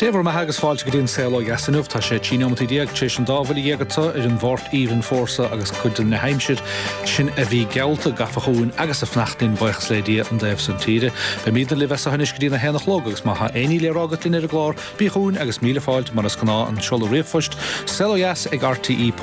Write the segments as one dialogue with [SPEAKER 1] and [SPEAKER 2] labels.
[SPEAKER 1] Dé bhur mbeatha agus fáilte go dtí an Saol Ó Dheas inniu. Tá sé 13 neomat tar éis an dá bhuille dhéag anseo ar an Mháirt aoibhinn fuar seo agus cuid de na haimsir sin a bhí geallta gafa chugainn agus ag fanacht linn, buíochas le Dia, an dtaobh san tíre. Beimidne libh as seo anois go dtí an 1 a chlog agus má tá aon ní le rá agat linn ar an gclár, bí chugainn agus míle fáilte mar is gnáth an seoladh ríomhphoist, saolodheas ag rte.ie,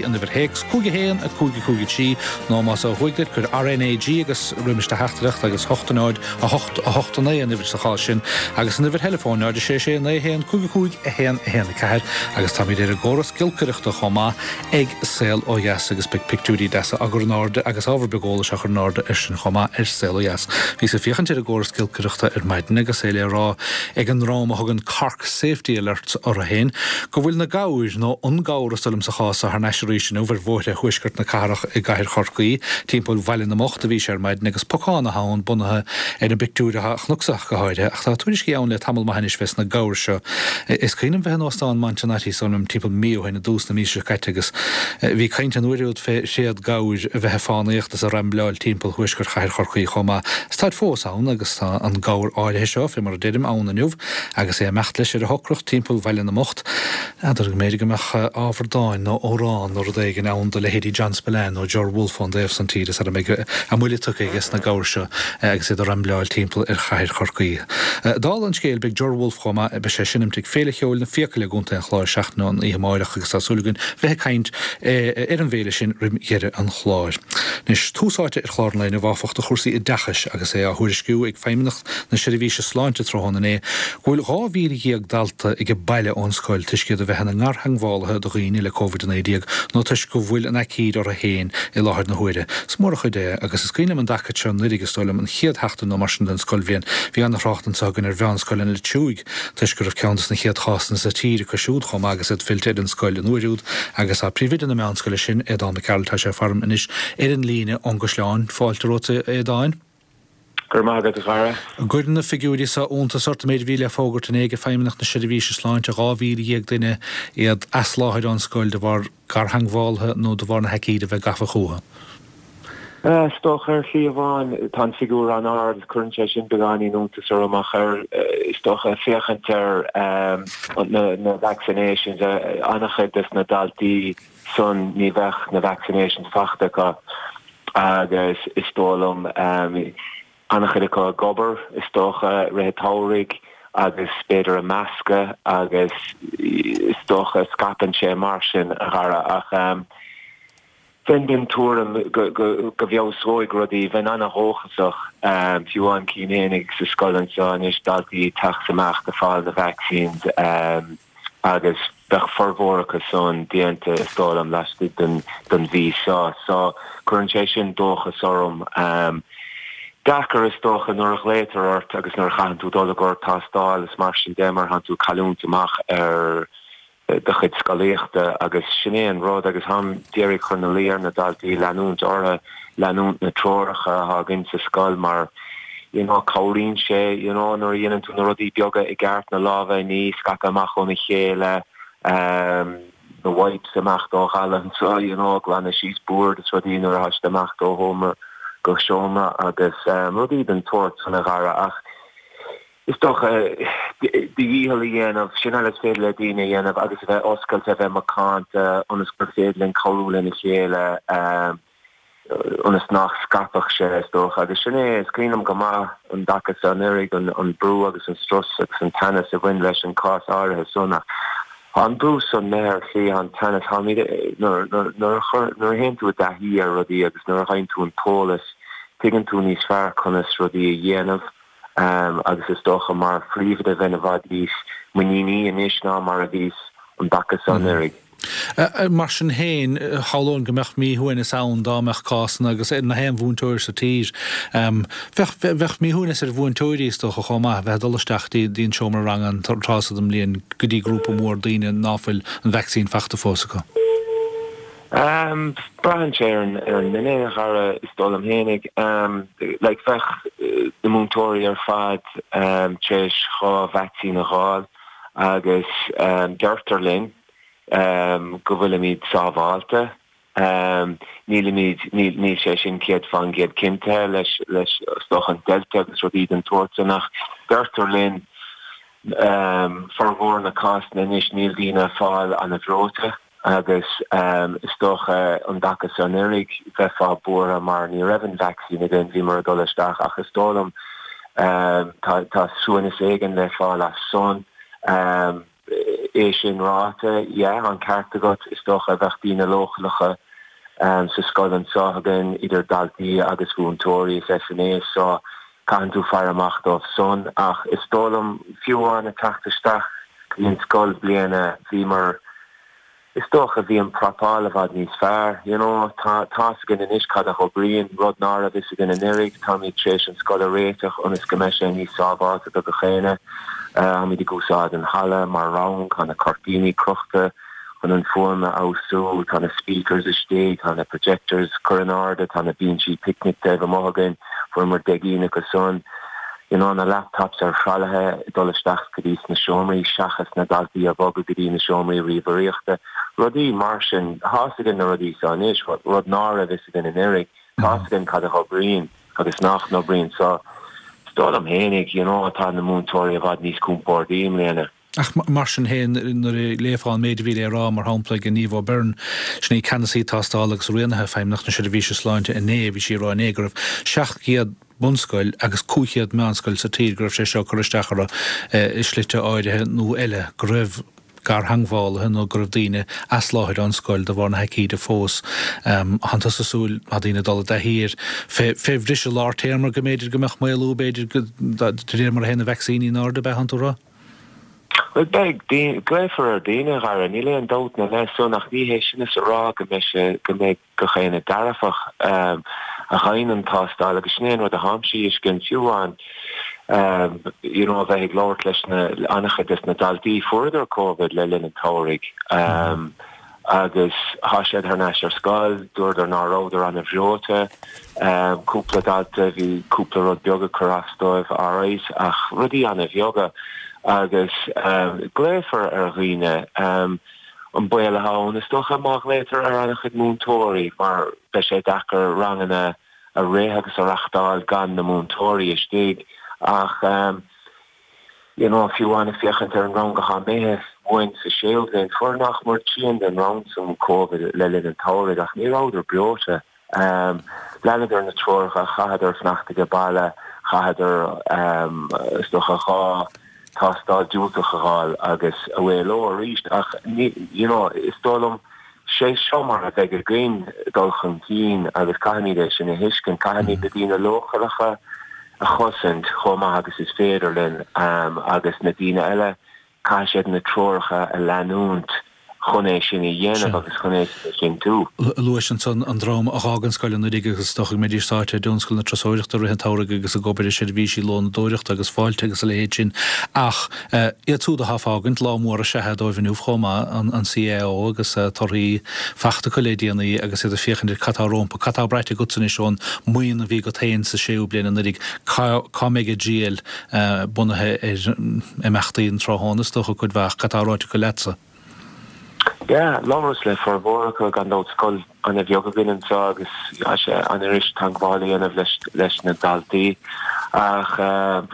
[SPEAKER 1] an uimhir théacs, 5 1 5 5 3 nó más ó thuaidh duit, cuir RnaG agus roimis do theachtaireacht agus 8 0 8, 8, 9 an uimhir sa chás sin, agus an uimhir theileafóin, 0 6 6 9 1 5 5 1 1 4, agus táimid ar an gcóras giolcaireachta chomh maith ag Saol Ó Dheas agus beidh pictiúirí deasa á gcur in airde agus ábhar beag eolais á chur in airde air sin chomh maith ar Saol Ó Dheas. Bhíos ag féachaint ar an gcóras giolcaireachta ar maidin agus é le rá ag an ndream a thugann Cork Safety Alerts orthu féin go bhfuil na gabhair, nó an gabhar is dóigh liom sa chás seo, thar n-ais arís inniu ar bhóithre thuaisceart na cathrach i gcathair Chorcaí. Timpeall Bhaile na mBocht a bhí sé ar maidin agus pocán atá ann bunaithe ar an bpictiúr atá a chonacsa ach go háirithe. Ach tá tuairiscí ann le tamall maith anois fés na gabhair seo. Is cuimhin liom bheith in Óstán Montenotte is dóigh liom timpeall mí ó shin i dtús na míosa seo caite agus bhí caint an uair úd fé thréad gabhair a bheith ag fánaíocht is ag rambleáil timpeall thuaisceart chathair Chorcaí chomh maith. Is táid fós ann agus tá an gabhar áirithe seo, fé mar a deirim, ann inniu agus é ag imeacht leis ar a shocracht timpeall Bhaile na mBocht. N'fheadar go mb'fhéidir go mbeadh ábhar dáin nó amhrán nó rud éigin ann do leithéidí John Spillane nó Ger Wolfe ón dtaobh san tíre sara mbeidh a mbuille tugtha aige sna gabhair seo agus iad ag rambleáil timpeall ar chathair Chorcaí. Dála an scéil, beidh Ger Wolfe chomh maith, beidh sé ag seinmt ag Féile Cheoil na Fiacaile i gContae an Chláir seachtain ón oíche amáireach agus tá súil againn bheith ag caint ar an bhféile sin roim dheireadh an chláir. Anois, tús áite ar chlár an lae inniu áfach do chúrsaí oideachais agus é á thuairisciú ag Feidhmeannacht na Seirbhíse Sláinte tráthnóna inné go bhfuil 12,000 dalta age baile ón scoil toisc iad a bheith ina ngartheangmhálaithe do dhaoine le Covid-19 nó toisc go bhfuil an aicíd orthu féin i láthair na huaire. Is mór an chuid é agus is cuimhin liom an dtaca seo anuraidh, is dóigh liom, an chéad sheachtain nó mar sin den scoilbhliain. Bhí an-thrácht anseo againn ar mheánscoil an Leitriúigh toisc go raibh ceann des na chéad chásanna sa tír acu siúd chomh maith agus iad fillte ar an scoil an uair úd agus tá príomhoide na meánscoile sin, Aodán Mac Gearailt, tá sé faram anois ar an líne ón gCaisleán. Fáilte romhat, a Aodáin.
[SPEAKER 2] Go raibh maith agat, a Dhara.
[SPEAKER 1] An gcuireann na figiúirí seo iontas ort, an méid a bhí le fógairt inné ag Feidhmeannacht na Seirbhíse Sláinte, 12,000 duine, iad as láthair ón scoil de bharr gartheangmhálaithe nó de bharr na haicíde a bheith gafa chucu?
[SPEAKER 2] Is dócha, ar shlí amháin, tá an figiúr an-ard, cuireann sé sin beagáinín iontas orm ach ar, is dócha, féachaint ar na vaccinations, an-chuid des na daltaí san ní bheadh na vaccinations fachta acu. agus is dóigh liom an-chuid acu ag obair, is dócha, i rith an tsamhraidh agus b'fhéidir ag meascadh agus is dócha scaipeann sé mar sin, a Dhara. Ach bheinn den tuairim go bhfeabhsóidh rudaí, bheinn an-dhóchasach, fiú amháin cím fhéinig sa scoil anseo anois daltaí ag teacht amach ag fáil na vaccines. agus bheadh formhór acu san déanta, is dóigh liom, laistigh den mhí seo. So, cuireann sé sin dóchas orm. Deacair, is dócha, nuair a ghlaotar ort agus nuair a chaitheann tú dul i gcomhair tástáil is mar sin de mar thánn tú ag cailliúint amach ar do chuid scolaíochta agus sin é an rud agus táim d'iarraidh cur ina luí ar na daltaí leanúint orthu, leanúint na treoracha atá againn sa scoil mar you know cabhraíonn sé you know nuair a dhéanann tú na rudaí beaga i gceart, na lámha a ní, scaipeadh amach óna chéile, ehm na wipes amach ó dhalladh anseo you know glanadh síos boird is rudaí nuair atá siad amach ó sheomra go seomra agus ehm rudaí den tsórt san a Dhara ach is dócha do dhícheall a dhéanamh, sin uile is féidir le daoine a dhéanamh agus a bheith oscailte, a bheith macánta ionas gur féidir linn cabhrú lena chéile ehm ionas nach scaipfeadh sé, is dócha. Agus sin é, is cuimhin liom go maith an dtaca seo anuraidh, an brú agus an strus agus an teannas a bhain leis an cás áirithe san. Ach tá an brú san imithe ar shlí, tá an teannas, táimid, nuair a théann tú i dtaithí ar rudaí agus nuair a fhaigheann tú an t-eolas, tuigeann tú níos fearr conas rudaí a dhéanamh. Agus is dócha mar phríomhoide bheinn i bhfad níos muiníní anois ná mar a bhíos an dtaca seo anuraidh.
[SPEAKER 1] Mar sin féin, shamhlóinn go mbeadh míshuaimhneas ann dá mbeadh cásanna agus ar na haon mhúinteoir sa tír. Bheadh, bheadh míshuaimhneas ar mhúinteoirí is dócha chomh maith, bheith ag dul isteach dtí an seomra ranga an tráth so den mbliain go dtí grúpa mór daoine ná fuil an vacsaín fachta fós acu.
[SPEAKER 2] Braitheann sé ar an nduine, a Dhara, is dóigh liom fhéinig. Like, bheadh na múinteoirí ar fad tar éis 2 vacsaín a dh'fháil agus deirtear linn go bhfuilimid sábháilte. Nílimid, níl sé sin 100% cinnte leis, leis, is dócha, an Delta agus rudaí den tsórt san ach deirtear linn. Formhór na cásanna anois níl daoine ag fáil ana-bhreoite agus is dócha an dtaca so anuraidh bheifeá buartha mar ní raibh an vaccine againn, bhíomar ag dul isteach ach is dóigh liom tá suaimhneas éigin le fáil as san. É sin ráite, yeah, an ceart agat, is dócha bheadh daoine leochaileacha sa scoil anseo againn, idir daltaí agus mhúinteoirí is SNAs so caitheann tú faire amach dóibh san. Ach is dóigh liom, fiú amháin ag teacht isteach go dtí an scoil bliana, bhíomar, Is dócha, bhí an prapáil i bhfad níos fearr. You know, tá tá's againn anois cad a dh'oibríonn, rud ná raibh fhios againn anuraidh. Táimid tar éis an scoil a réiteach ionas go mbeidh sé níos sábháilte do gach éinne. Táimid ag úsáid an halla mar rang, tá na cuirtíní crochta chun an fuaim a fheabhsú, tá na speakers istigh, tá na projectors curtha in airde, tá na binsí picnic taobh amuigh againn, fuaireamar 10 gcinn acu san. You know, na laptops ar thralaithe ag dul isteach go dtí sna seomraí seachas na daltaí a bhogadh go dtí na seomraí ríomhaireachta, rudaí mar sin. Tá's againn na rudaí seo anois, rud ná raibh fhios againn anuraidh. Tá's againn cad a dh'oibríonn agus nach n-oibríonn. So, is dóigh liom fhéinig, you know, tá na múinteoirí i bhfad níos compórdaí i mbliana.
[SPEAKER 1] Ach mar sin féin, nuair a léifeá an méid a bhí le rá, mar shampla, ag Niamh O'Byrne, sin í Ceannasaí Tástála agus Rianaithe Feidhmeannacht na Seirbhíse Sláinte inné, bhí sí ag rá inné go raibh 700 bunscoil agus 500 meánscoil sa tír go raibh sé seo ag cur isteach orthu i slite áirithe nó eile, go raibh gartheangmhálaithe nó go raibh daoine as láthair ón scoil de bharr na haicíde fós. Tánn tusa ag súil, má tá daoine ag dul i dtaithí air, fé bhriseadh lár téarma go mb'fhéidir go mbeadh maolú, b'fhéidir, de réir mar a théann na vacsaíní in airde, ab ea, tánn tú ag rá?
[SPEAKER 2] Bhuel, beidh, glaofar ar dhaoine, a Dhara, níl aon dabht ina leith san, ach ní hé sin is a rá go mbeidh sé, go mbeidh gach éinne dearfach a gheibheann an tástáil agus sin é an rud a tháimse a fheiscint, fiú amháin, you know, a bheith ag labhairt leis na, an-chuid des na daltaí, fuaireadar Covid le linn an tsamhraidh. Agus thá siad thar n-ais ar scoil, dúradar ná rabhadar ana-bhreoite. Cúpla dalta, bhí cúpla rud beag ag cur as dóibh, alright, ach rudaí ana-bheaga. Agus glaofar ar dhaoine. An baol athá ann, is dócha, má ghlaotar ar ana-chuid múinteoirí, mar beidh sé deacair ranganna a rith agus a reachtáil gan na múinteoirí istigh. Ach. You know, fiú amháin ag féachaint ar an rang athá imithe uainn sa séú bhliain, fuair nach mór trian den rang san Covid le linn an tsamhraidh ach ní rabhadar breoite. Leanadar na treoracha, chaitheadar fanacht age baile, chaitheadar is dócha 2 tástáil diúltach a dh'fháil agus away leo arís ach ní, you know, is dóigh liom sé seo mar a bheidh againn dul chun cinn agus caithfimid é sin a thuiscint, caithfimid na daoine leochaileacha a chosaint chomh maith agus is féidir linn agus na daoine eile, caithfidh siad na treoracha a leanúint chun é sin a dhéanamh agus chun é sin a chinntiú.
[SPEAKER 1] Luais ansan an dream a dh'fhág an scoil anuraidh agus is dócha go mbeidís sáite i dtionscal na turasóireachta i rith an tsamhraidh agus ag obair i seirbhísí lónadóireachta agus fáilte agus a leithéid sin ach Iad siúd atá ag fágaint, lá mór is ea é dóibh inniu chomh maith, an CAO agus torthaí fachta acu le déanaí agus iad ag féachaint ar cad tá rompu. Cad tá braite agatsa anois ón mbuíon a bhí agat féin sa séú bliain anuraidh? Cá mbeidh a dtriall bunaithe ar imeachtaí an tráthnóna is dócha cuid mhaith? Cad tá ráite acu leatsa?
[SPEAKER 2] Yeah, labhras le formhór acu, gan dabht, scoil ana-bheag againn anseo agus tá sé an-fhuirist teagmháil a dhéanamh leis leis na daltaí. Ach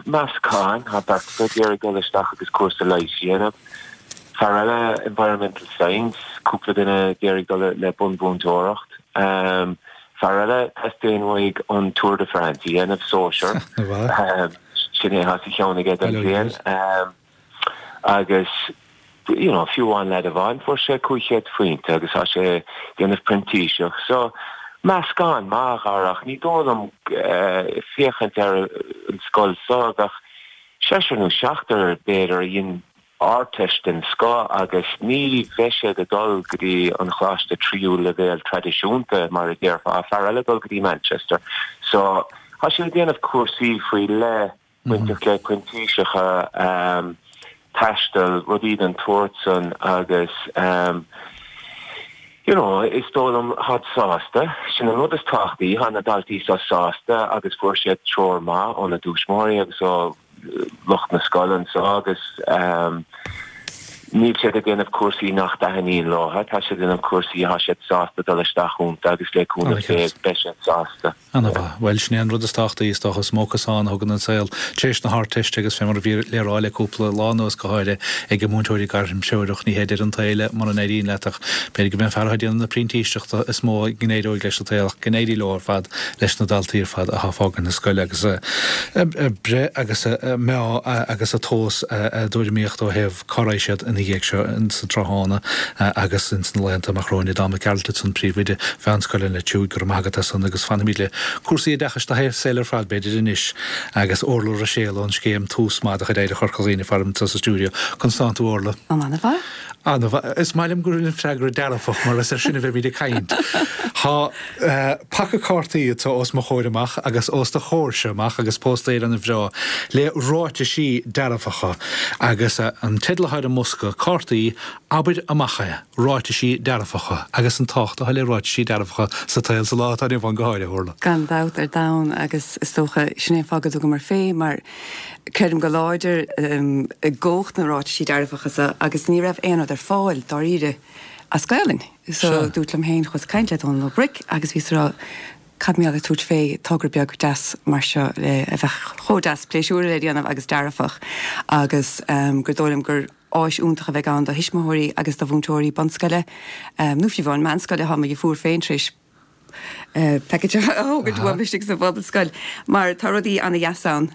[SPEAKER 2] meascán, tá beirt acu ag iarraidh dul isteach agus cúrsa leighis a dhéanamh. Fear eile Environmental Science, cúpla duine ag iarraidh dul le bunmhúinteoireacht. Fear eile, teastaíonn uaidh an Tour de France a dhéanamh, sóisear. Sin é atá sa cheann aige don bhliain. Agus you know fiú amháin leaid amháin fuair sé 500 phointe agus tá sé ag déanamh printíseach. So meascán maith a Dhara ach ní dóigh liom féachaint ar an scoil seo bheadh seisear nó seachtar b'fhéidir a dhein Ardteist den scoth agus ní bheidh siad ag dul go dtí an choláiste tríú leibhéal traidisiúnta mar a déarfá, fear eile ag dul go dtí Manchester. So tá siad ag déanamh cúrsaí faoi leith bainteach le printíseacha, taisteal, rudaí den tsórt san agus you know is dóigh liom táid sásta, sin an rud is tábhachtaí, tá na daltaí seo sásta agus fuair siad treoir maith óna dtuismitheoirí agus ó lucht na scoile anseo agus. Níl siad ag déanamh cúrsaí nach dtaitníonn leo, tá siad ag déanamh cúrsaí atá siad sásta dul isteach iontu agus le cúnamh Dé beidh siad sásta.
[SPEAKER 1] Ana-mhaith. Bhuel, sin é an rud is tábhachtaí, is dócha. Is mó cosán a thugann an saol tar éis na hArdteiste agus fé mar a bhí le rá le cúpla lá anuas, go háirithe ag na múinteoirí gairmthreorach, ní hé deireadh an tsaoil é mura n-éiríonn leat ach b'fhéidir go mb'é an fear atá ag déanamh na printíseachta is mó go n-éireoidh leis sa tsaol ach go n-éirí leo ar fad leis na daltaí ar fad atá ag fágaint na scoile agus a breith agus a meá agus a tomhas a dtuairimíocht ó thaobh cá raghaidh siad ina dhiaidh seo sa tráthnóna agus ins na laethanta amach romhainn. Dom Mac Gearailt ansan, Príomhoide Mheánscoil an Leitriúigh, go raibh maith agat as san agus fanfaimid le cúrsaí oideachais do shaol ar fad b'fhéidir anois agus Orla Ruiséal ón scéim Tús Maith de chuid Oidhreacht Chorca Dhuibhne faram anseo sa stiúideo. Conas tánn tú Orla?
[SPEAKER 3] An-mhaith.
[SPEAKER 1] An-mhaith. Is maith liom go bhfuil an freagra dearfach mar is ar sin a bheimid ag caint. Tá paca cártaí atá os mo chomhair amach agus os do chomhairse amach agus póstaer an-bhreá le ráitisí dearfacha agus an teideal atá ar an mbosca cártaí Abair Amach É, Ráitisí Dearfacha agus an tábhacht atá le ráitisí dearfacha sa tsaol sa lá atá inniu ann go háirithe, Orla.
[SPEAKER 3] Gan dabht ar domhan agus is dócha sin é an fáth go dtugamar fé mar creidim go láidir i gcumhacht na ráitisí dearfacha so agus ní raibh aon rud ar fáil dáiríre as Gaelainn. So dúirt liom féin, chuas ag caint le Dónal Ó Bric agus bhíos ag rá cad mar gheall ar tabhairt fé togra beag deas mar seo le a bheadh chomh deas pléisiúrtha le déanamh agus dearfach agus gur dóigh liom gur áis iontach a bheidh ann do thuismitheoirí agus do mhúinteoirí bunscoile nó fiú amháin meánscoile, tá mo dheirfiúr féin tar éis package a thógaint uaim istigh sa phobalscoil mar tá rudaí ana-dheas ann,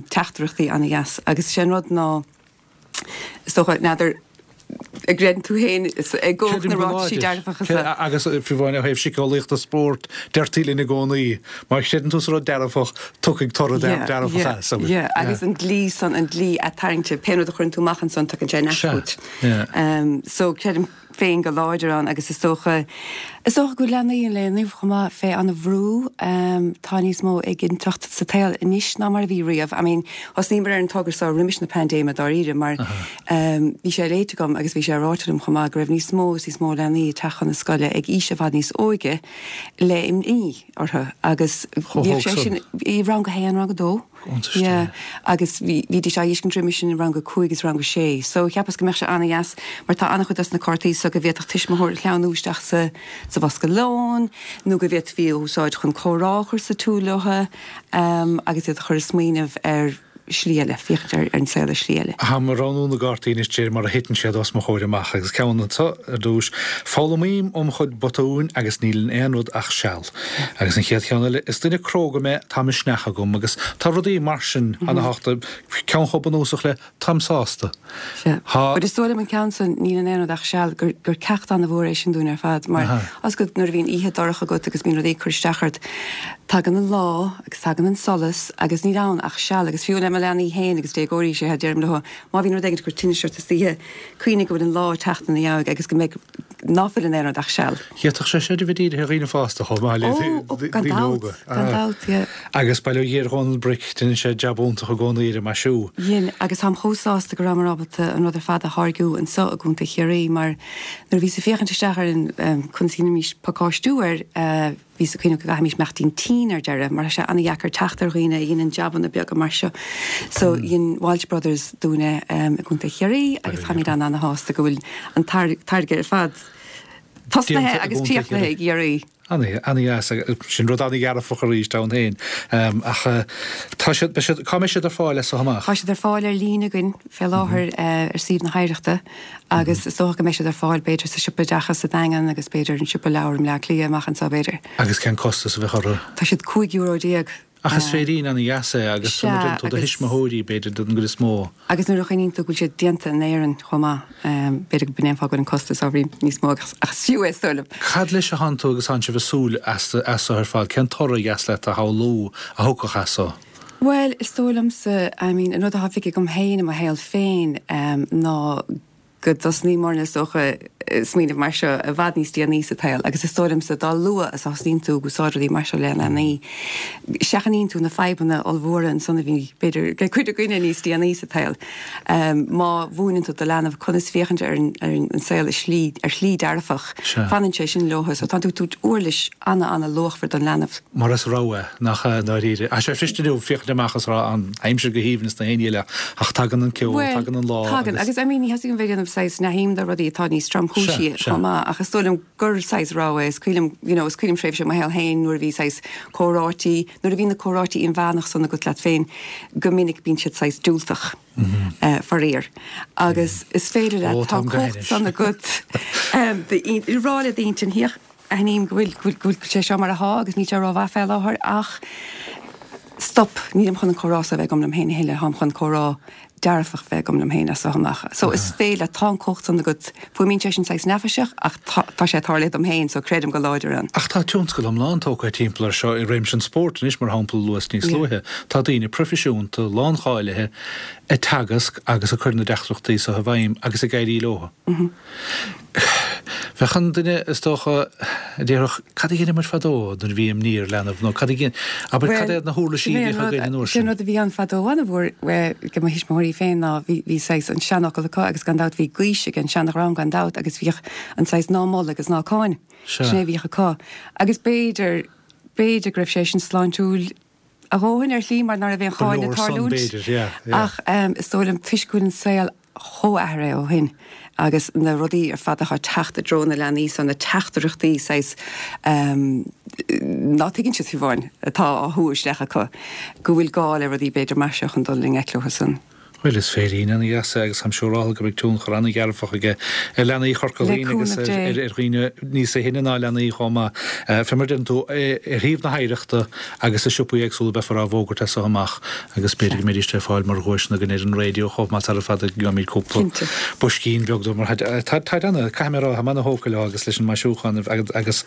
[SPEAKER 3] teachtaireachtaí ana-dheas agus sé an rud ná Is dócha, n'fheadar, an gcreideann tú féin i gcumhacht na ráitisí dearfacha
[SPEAKER 1] so. Agus fiú amháin ó thaobh síceolaíochta spóirt, deirtí linn i gcónaí, má chreideann tú sa rud dearfach, tiocfaidh toradh dearfach as.
[SPEAKER 3] Yeah, agus an dlí san, an dlí atarraingte, pé rud a chuireann tú amach ansan, tagann sé ar ais chugat. So, creidim. féin go láidir ann agus is dócha, is dócha go bhfuil leanaí an lae inniu chomh maith fé an-bhrú. Tá níos mó éiginnteacht sa tsaol anois ná mar a bhí riamh. I mean, thosnaíomar ar an togra seo roimis na paindéime dáiríre mar bhí sé léite agam agus bhí sé ráite liom chomh maith go raibh níos mó is níos mó leanaí ag teacht chun na scoile ag aois i bhfad níos óige le imní orthu agus bhíodh sé sin i rang a haon, rang a dó. Yeah, agus bhídís á fheiscint roimis sin i rang a 5 is rang a 6. So cheapas go mbeadh sé an-dheas mar tá an-chuid dos na cártaí so go bhféadfadh tuismitheoir a shleamhnú isteach sa sa bhosca lóin nó go bhféadfaí a úsáid chun comhrá a chur sa tsiúl leo agus iad a chur ag smaoineamh ar shlí eile, féachaint ar an saol ar shlí eile.
[SPEAKER 1] Táim ag roghnú na gcártaí anois de réir mar a thiteann siad os mo chomhair amach agus ceann anseo ar dtús, Foghlaimím óm chuid botúin agus níl in aon rud ach seal. Agus an chéad cheann eile, is duine cróga mé, tá misneach agam, agus tá rudaí mar sin ana-thábhachtach, ceann chomh bunúsach le táim sásta.
[SPEAKER 3] Sea. Tá. But is dóigh liom an ceann san, níl in aon rud ach seal, gur, gur ceacht an-mhór é sin dúinn ar fad, mar tá 's agat nuair a bhíonn oíche dorcha agat agus bíonn rudaí ag cur isteach ort, tagann an lá agus tagann an solas agus níl ann ach seal agus fiú le mo leanaí féin agus déagóirí, sea, deirim leo, má bhíonn rud éigin ag cur tinnis ort istoíche, cuimhnigh go bhfuil an lá ag teacht ina dhiaidh agus go mbeidh, ná fuil in aon rud ach seal.
[SPEAKER 1] D'fhéadfadh sé sin a bheith dírithe ar dhaoine fásta chomh maith le daoine óga.
[SPEAKER 3] Gan dabht, yeah.
[SPEAKER 1] Agus bail ó Dhia ar Dhónal Bric, déanann sé jab iontach i gcónaí ar an maisiú.
[SPEAKER 3] Dhein, agus táim chomh sásta go rabhamar ábalta an rud ar fad a tháirgiú anseo i gContae Chiarraí mar nuair a bhíos ag féachaint isteach ar an conas a dhéanfaimis pacáistiú air, Bhíos ag cuimhneamh go gcaithfimis imeachtaí tinn ar deireadh mar tá sé an-dheacair teacht ar dhaoine a dhéanann jabanna beaga mar seo. So dhein Walsh Brothers dúinn é i gContae Chiarraí agus táimid an-ana-shásta go bhfuil an táirge ar fad tosnaithe agus críochnaithe i gCiarraí.
[SPEAKER 1] An-dheas, sin rud an-dhearfach arís ann féin. Ach tá siad, beidh siad, cá mbeidh siad ar fáil as so amach?
[SPEAKER 3] Tá siad ar fáil ar líne againn fé láthair ar suíomh na hOidhreachta. Agus is dócha go mbeidh siad ar fáil, b'fhéidir, sa siopa oideachais sa Daingean agus b'fhéidir an siopa leabhar i mBleá Cliath amach anseo, b'fhéidir.
[SPEAKER 1] Agus cén costas a bheadh orthu?
[SPEAKER 3] Tá siad 15 euro.
[SPEAKER 1] Ach is féirín ana-dheas é agus
[SPEAKER 3] Sea,
[SPEAKER 1] nuair a deireann tú do
[SPEAKER 3] agus.
[SPEAKER 1] thuismitheoirí, b'fhéidir, don gcuid is mó.
[SPEAKER 3] Agus nuair a chuimhníonn tú go bhfuil siad déanta in Éirinn chomh maith, b'fhéidir go b'in é an fáth go bhfuil an costas ábhairín níos mó ach is fiú é, is dóigh liom.
[SPEAKER 1] Cad leis a thánn tú agus thánn sibh ag súil as so ar fad? Cén toradh a dheas leat a shamhlú a thiocfadh as so?
[SPEAKER 3] Bhuel, is dóigh liomsa, I mean, an rud atá feicthe agam féin i mo shaol féin ná go dtosnaíomarna, is dócha, ag smaoineamh mar seo i bhfad níos déanaí sa tsaol agus is dóigh liomsa dá luath is a thosnaíonn tú ag úsáid rudaí mar seo le leanaí, seachnaíonn tú na fadhbanna ollmhóra ansan a bhí, b'fhéidir, ag cuid againne níos déanaí sa tsaol. Má mhúineann tú do leanbh conas féachaint ar an saol i slí, ar shlí dearfach, fanann sé sin leo. So tá tú ag tabhairt uirlis ana-ana-luachmhar don leanbh.
[SPEAKER 1] Mar is rogha é, nach ea, i ndáiríre. Tá sé fuirist inniu féachaint amach is rá an aimsir go haoibhinn is na haon ní eile, ach tagann an ceo,
[SPEAKER 3] Bhuel,
[SPEAKER 1] tagann an lá
[SPEAKER 3] tagann,
[SPEAKER 1] agus.
[SPEAKER 3] agus I mean ní theastaíonn bheith ag déanamh. saghas neamhshuim do rudaí atá níos tromchúisí chomh maith ach is dóigh liom gur saghas rogha é. Is cuimhin liom, you know, is cuimhin liom tréimhse i mo shaol féin nuair a bhí saghas comhráití, nuair a bhí na comhráití inmheánach san agat leat féin, go minic bíonn siad saghas diúltach, faraor. Agus is féidir leat, tá an cumhacht san agat rá le d'intinn, féach, aithním go bhfuil, go bhfuil, go bhfuil sé seo mar athá agus níl sé rómhaith fé láthair ach stop, nílim chun an comhrá seo a bheith agam liom féin a thuilleadh, táim chun comhrá dearfach bheith agam liom féin as seo amach. So is féidir leat, tá an cumhacht san agat, fuaimíonn sé sin saghas neafaiseach ach tá, tá sé ag tarlú dom féin so creidim go láidir ann.
[SPEAKER 1] Ach tá tionscal iomlán tógtha timpeall air seo i réimse an spóirt anois, mar shampla, a luas níos luaithe. Tá daoine proifisiúnta, láncháilithe, ag teagasc agus ag cur na dteachtaireachtaí seo i bhfeidhm agus ag éirí leo. Bheadh an duine, is dócha, a déarfadh, cad a dheineadh muid fadó nuair a bhí imní ar leanbh nó cad a dhein, abair, cad iad na huirlisí a bhíodh againn an uair
[SPEAKER 3] sin? Sin rud a bhí ann fadó an-mhór ag mo thuismitheoirí féin ná bhí, bhí saghas an seanfhocal acu agus gan dabht bhí gaois ag an seanadhream gan dabht agus bhíodh an saghas ná mol agus ná cáin. Sin é a bhíodh acu. Agus b'fhéidir, b'fhéidir go raibh sé sin sláintiúil a dhóthain ar shlí mar ná raibh aon cháineadh ag tarlúint. Ach is dóigh liom toisc go bhfuil an saol chomh athraithe ó shin agus na rudaí ar fad atá ag teacht i dtreo na leanaí so na teachtaireachtaí saghas ná tuigeann siad fiú amháin atá á shú isteach acu go bhfuil gá le rudaí b'fhéidir mar seo chun dul i ngleic leo san.
[SPEAKER 1] Bhuel, is féirín ana-dheas é agus táim siúráltha go mbeidh tionchar ana-dhearfach aige ar leanaí Chorca Dhuibhne agus ar dhaoine níosa shine ná leanaí chomh maith. Fé mar a deireann tú, ar shuíomh na hOidhreachta agus i siopaí éagsúla beifear á bhfógairt as so amach agus b'fhéidir go mbeidís le fáil mar dhuaiseanna againn ar an raidió chomh maith sara fada go gheobhaimid cúpla boiscín beag dó mar táid ana, caithfidh mé a rá, táim ana-thógtha leo agus leis an maisiúchán agus.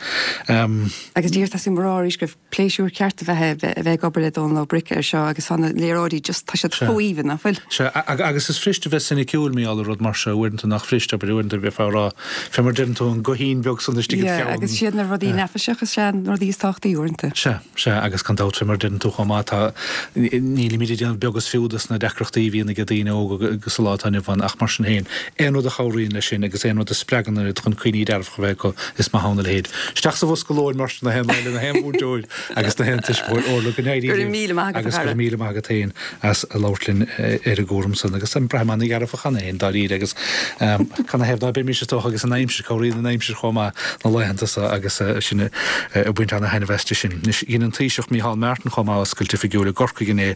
[SPEAKER 3] Agus díreach tá mé ag rá arís go raibh pléisiúr ceart a bheith a bheith ag obair le Dónal Ó Bric air seo agus tá na léaráidí just, tá siad chomh haoibhinn, nach bhfuil?
[SPEAKER 1] Sea, agus is fuirist a bheith soiniciúil mar gheall ar rud mar seo, uaireanta nach fuirist, abair, uaireanta bheifeá ag rá, fé mar deireann tú, an guthín beag san istigh
[SPEAKER 3] id cheann. Yeah, agus siad na rudaí neafaiseacha is ea na rudaí is tábhachtaí uaireanta.
[SPEAKER 1] Sea, sea, agus gan dabht, fé mar deireann tú chomh maith, tá, nílimid ag déanamh beag is fiú dos na deacrachtaí a bhíonn ag daoine óga sa lá atá inniu ann, ach mar sin féin, aon rud a chabhraíonn leis sin agus aon rud a spreagann iad chun cuimhní dearfacha a bheith acu, is maith ann a leithéid. Isteach sa bhosca lóin mar sin na haon lá le na haon mhúinteoir agus na haon tuismitheoir Orla go n-éirí
[SPEAKER 3] Go raibh míle maith
[SPEAKER 1] agat, a agus go raibh míle maith agat féin as a labhairt linn ar an gcúram san agus braithim ana-dhearfach cheana féin dáiríre agus canathaobh ná beimis is dócha agus an aimsir, cabhraíonn an aimsir chomh maith na laethanta so agus sinn ag baint ana-thaitneamh aisti sin. Anois dhein an Taoiseach Micheál Martin chomh maith oscailt oifigiúil i gCorcaigh inné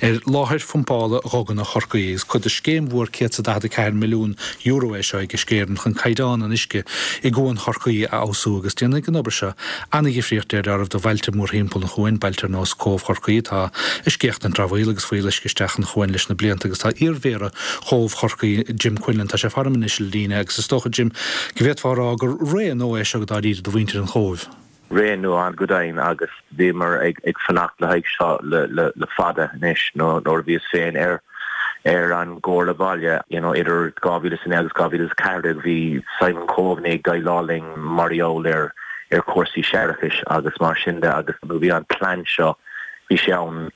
[SPEAKER 1] ar láthair phumpála Dhuganna Chorcaí agus cuid de scéim mhór €144 milliún é seo ag Uisce Éireann chun caighdeán an uisce i gCuan Chorcaí a fheabhsú agus déanfaidh an obair seo an-dhifríocht deir áireamh do bhailte mórthimpeall an chuain, bailte ar nós Cóbh Chorcaí atá ag scéachtaint dramhaíl agus fuíolluisce isteach an chuan leis na blianta agus tá iar-mhéara Chóbh Chorcaí, Jim Quinlan, tá sé faram anois ar líne agus is dócha, Jim, go bhféadfá a rá gur ré nua é seo dáiríre do mhuintir an Chóibh.
[SPEAKER 2] Ré nua go deimhin agus bhíomar ag fanacht le haghaidh seo le fada anois nuair a bhíos féin ar ar an gComhairle Bhaile you know idir 2009 agus 2014 bhí Simon Coveney ag déileáil linn mar gheall ar ar chúrsaí séarachais agus mar sin de agus bhí an plean seo bhí sé ann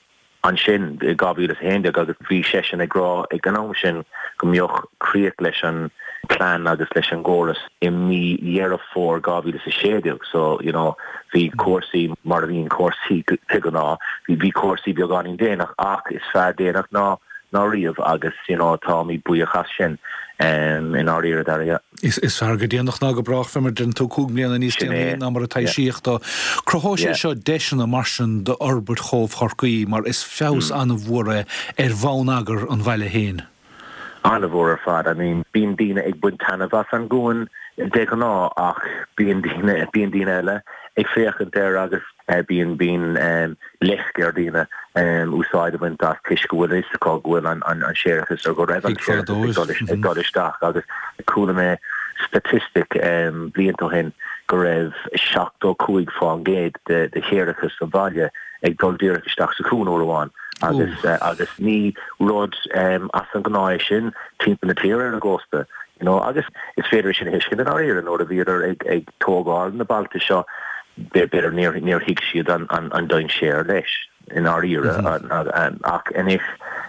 [SPEAKER 2] ansin i 2011 agus bhí seisean ag rá ag an am sin go mbeadh críoch leis an plean agus leis an gcóras i mí Dheireadh Fómhair 2016 so you know bhí cúrsaí mar a bhíonn cúrsaí de ghnáth bhí cúrsaí beagáinín déanach ach is fearr déanach ná ná riamh agus you know táimid buíoch as sin i ndáiríre Dara yeah.
[SPEAKER 1] Is fearr go déanach ná go brách, fé mar a deireann tú, 5 mbliana níos déanaí ná mar a taibhsíodh dó. Cruthóidh sé seo deiseanna mar sin d'fhorbairt Chóbh Chorcaí mar is feabhas an-mhór é ar bhonneagar an bhaile féin.
[SPEAKER 2] An-mhór ar fad. I mean, bíonn daoine ag baint taitneamh as an gcuan de ghnáth ach bíonn daoine, bíonn daoine eile ag féachaint air agus Bíonn, bíonn leisce ar dhaoine úsáid a bhaint as toisc go bhfuil a fhios acu go bhfuil an séarachas nó go raibh an séarachas ag dul isteach agus chuala mé staitistic blianta ó shin go raibh 75% de shéarachas an bhaile ag dul díreach isteach sa chuan uair amháin agus agus ní rud as an ngnáth é sin timpeall na tíre ar an gcósta you know agus is féidir é sin a thuiscint i ndáiríre nuair a bhíodar ag ag tógáil na bailte seo b'fhéidir níor níor thuig siad an an an dainséar leis i ndáiríre ach anois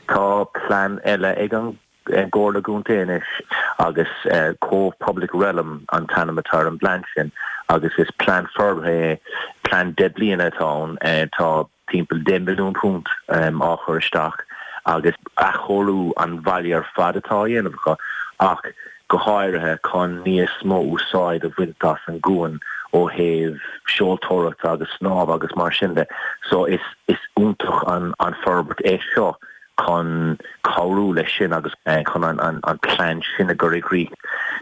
[SPEAKER 2] tá plean eile ag an gComhairle Contae anois agus Cobh Public Realm an t-ainm atá ar an bplean sin agus is plean forbartha é plean 10 bliana atá ann tá timpeall £10 milliún á chur isteach agus athchóiriú an bhaile ar fad atá á dhéanamh acu ach. Go háirithe chun níos mó úsáid a bhaint as an gcuan ó thaobh seoltóireachta agus snámha agus mar sin de. So is is iontach an an forbairt é seo chun cabhrú leis sin agus chun an an an plean sin a chur i gcrích.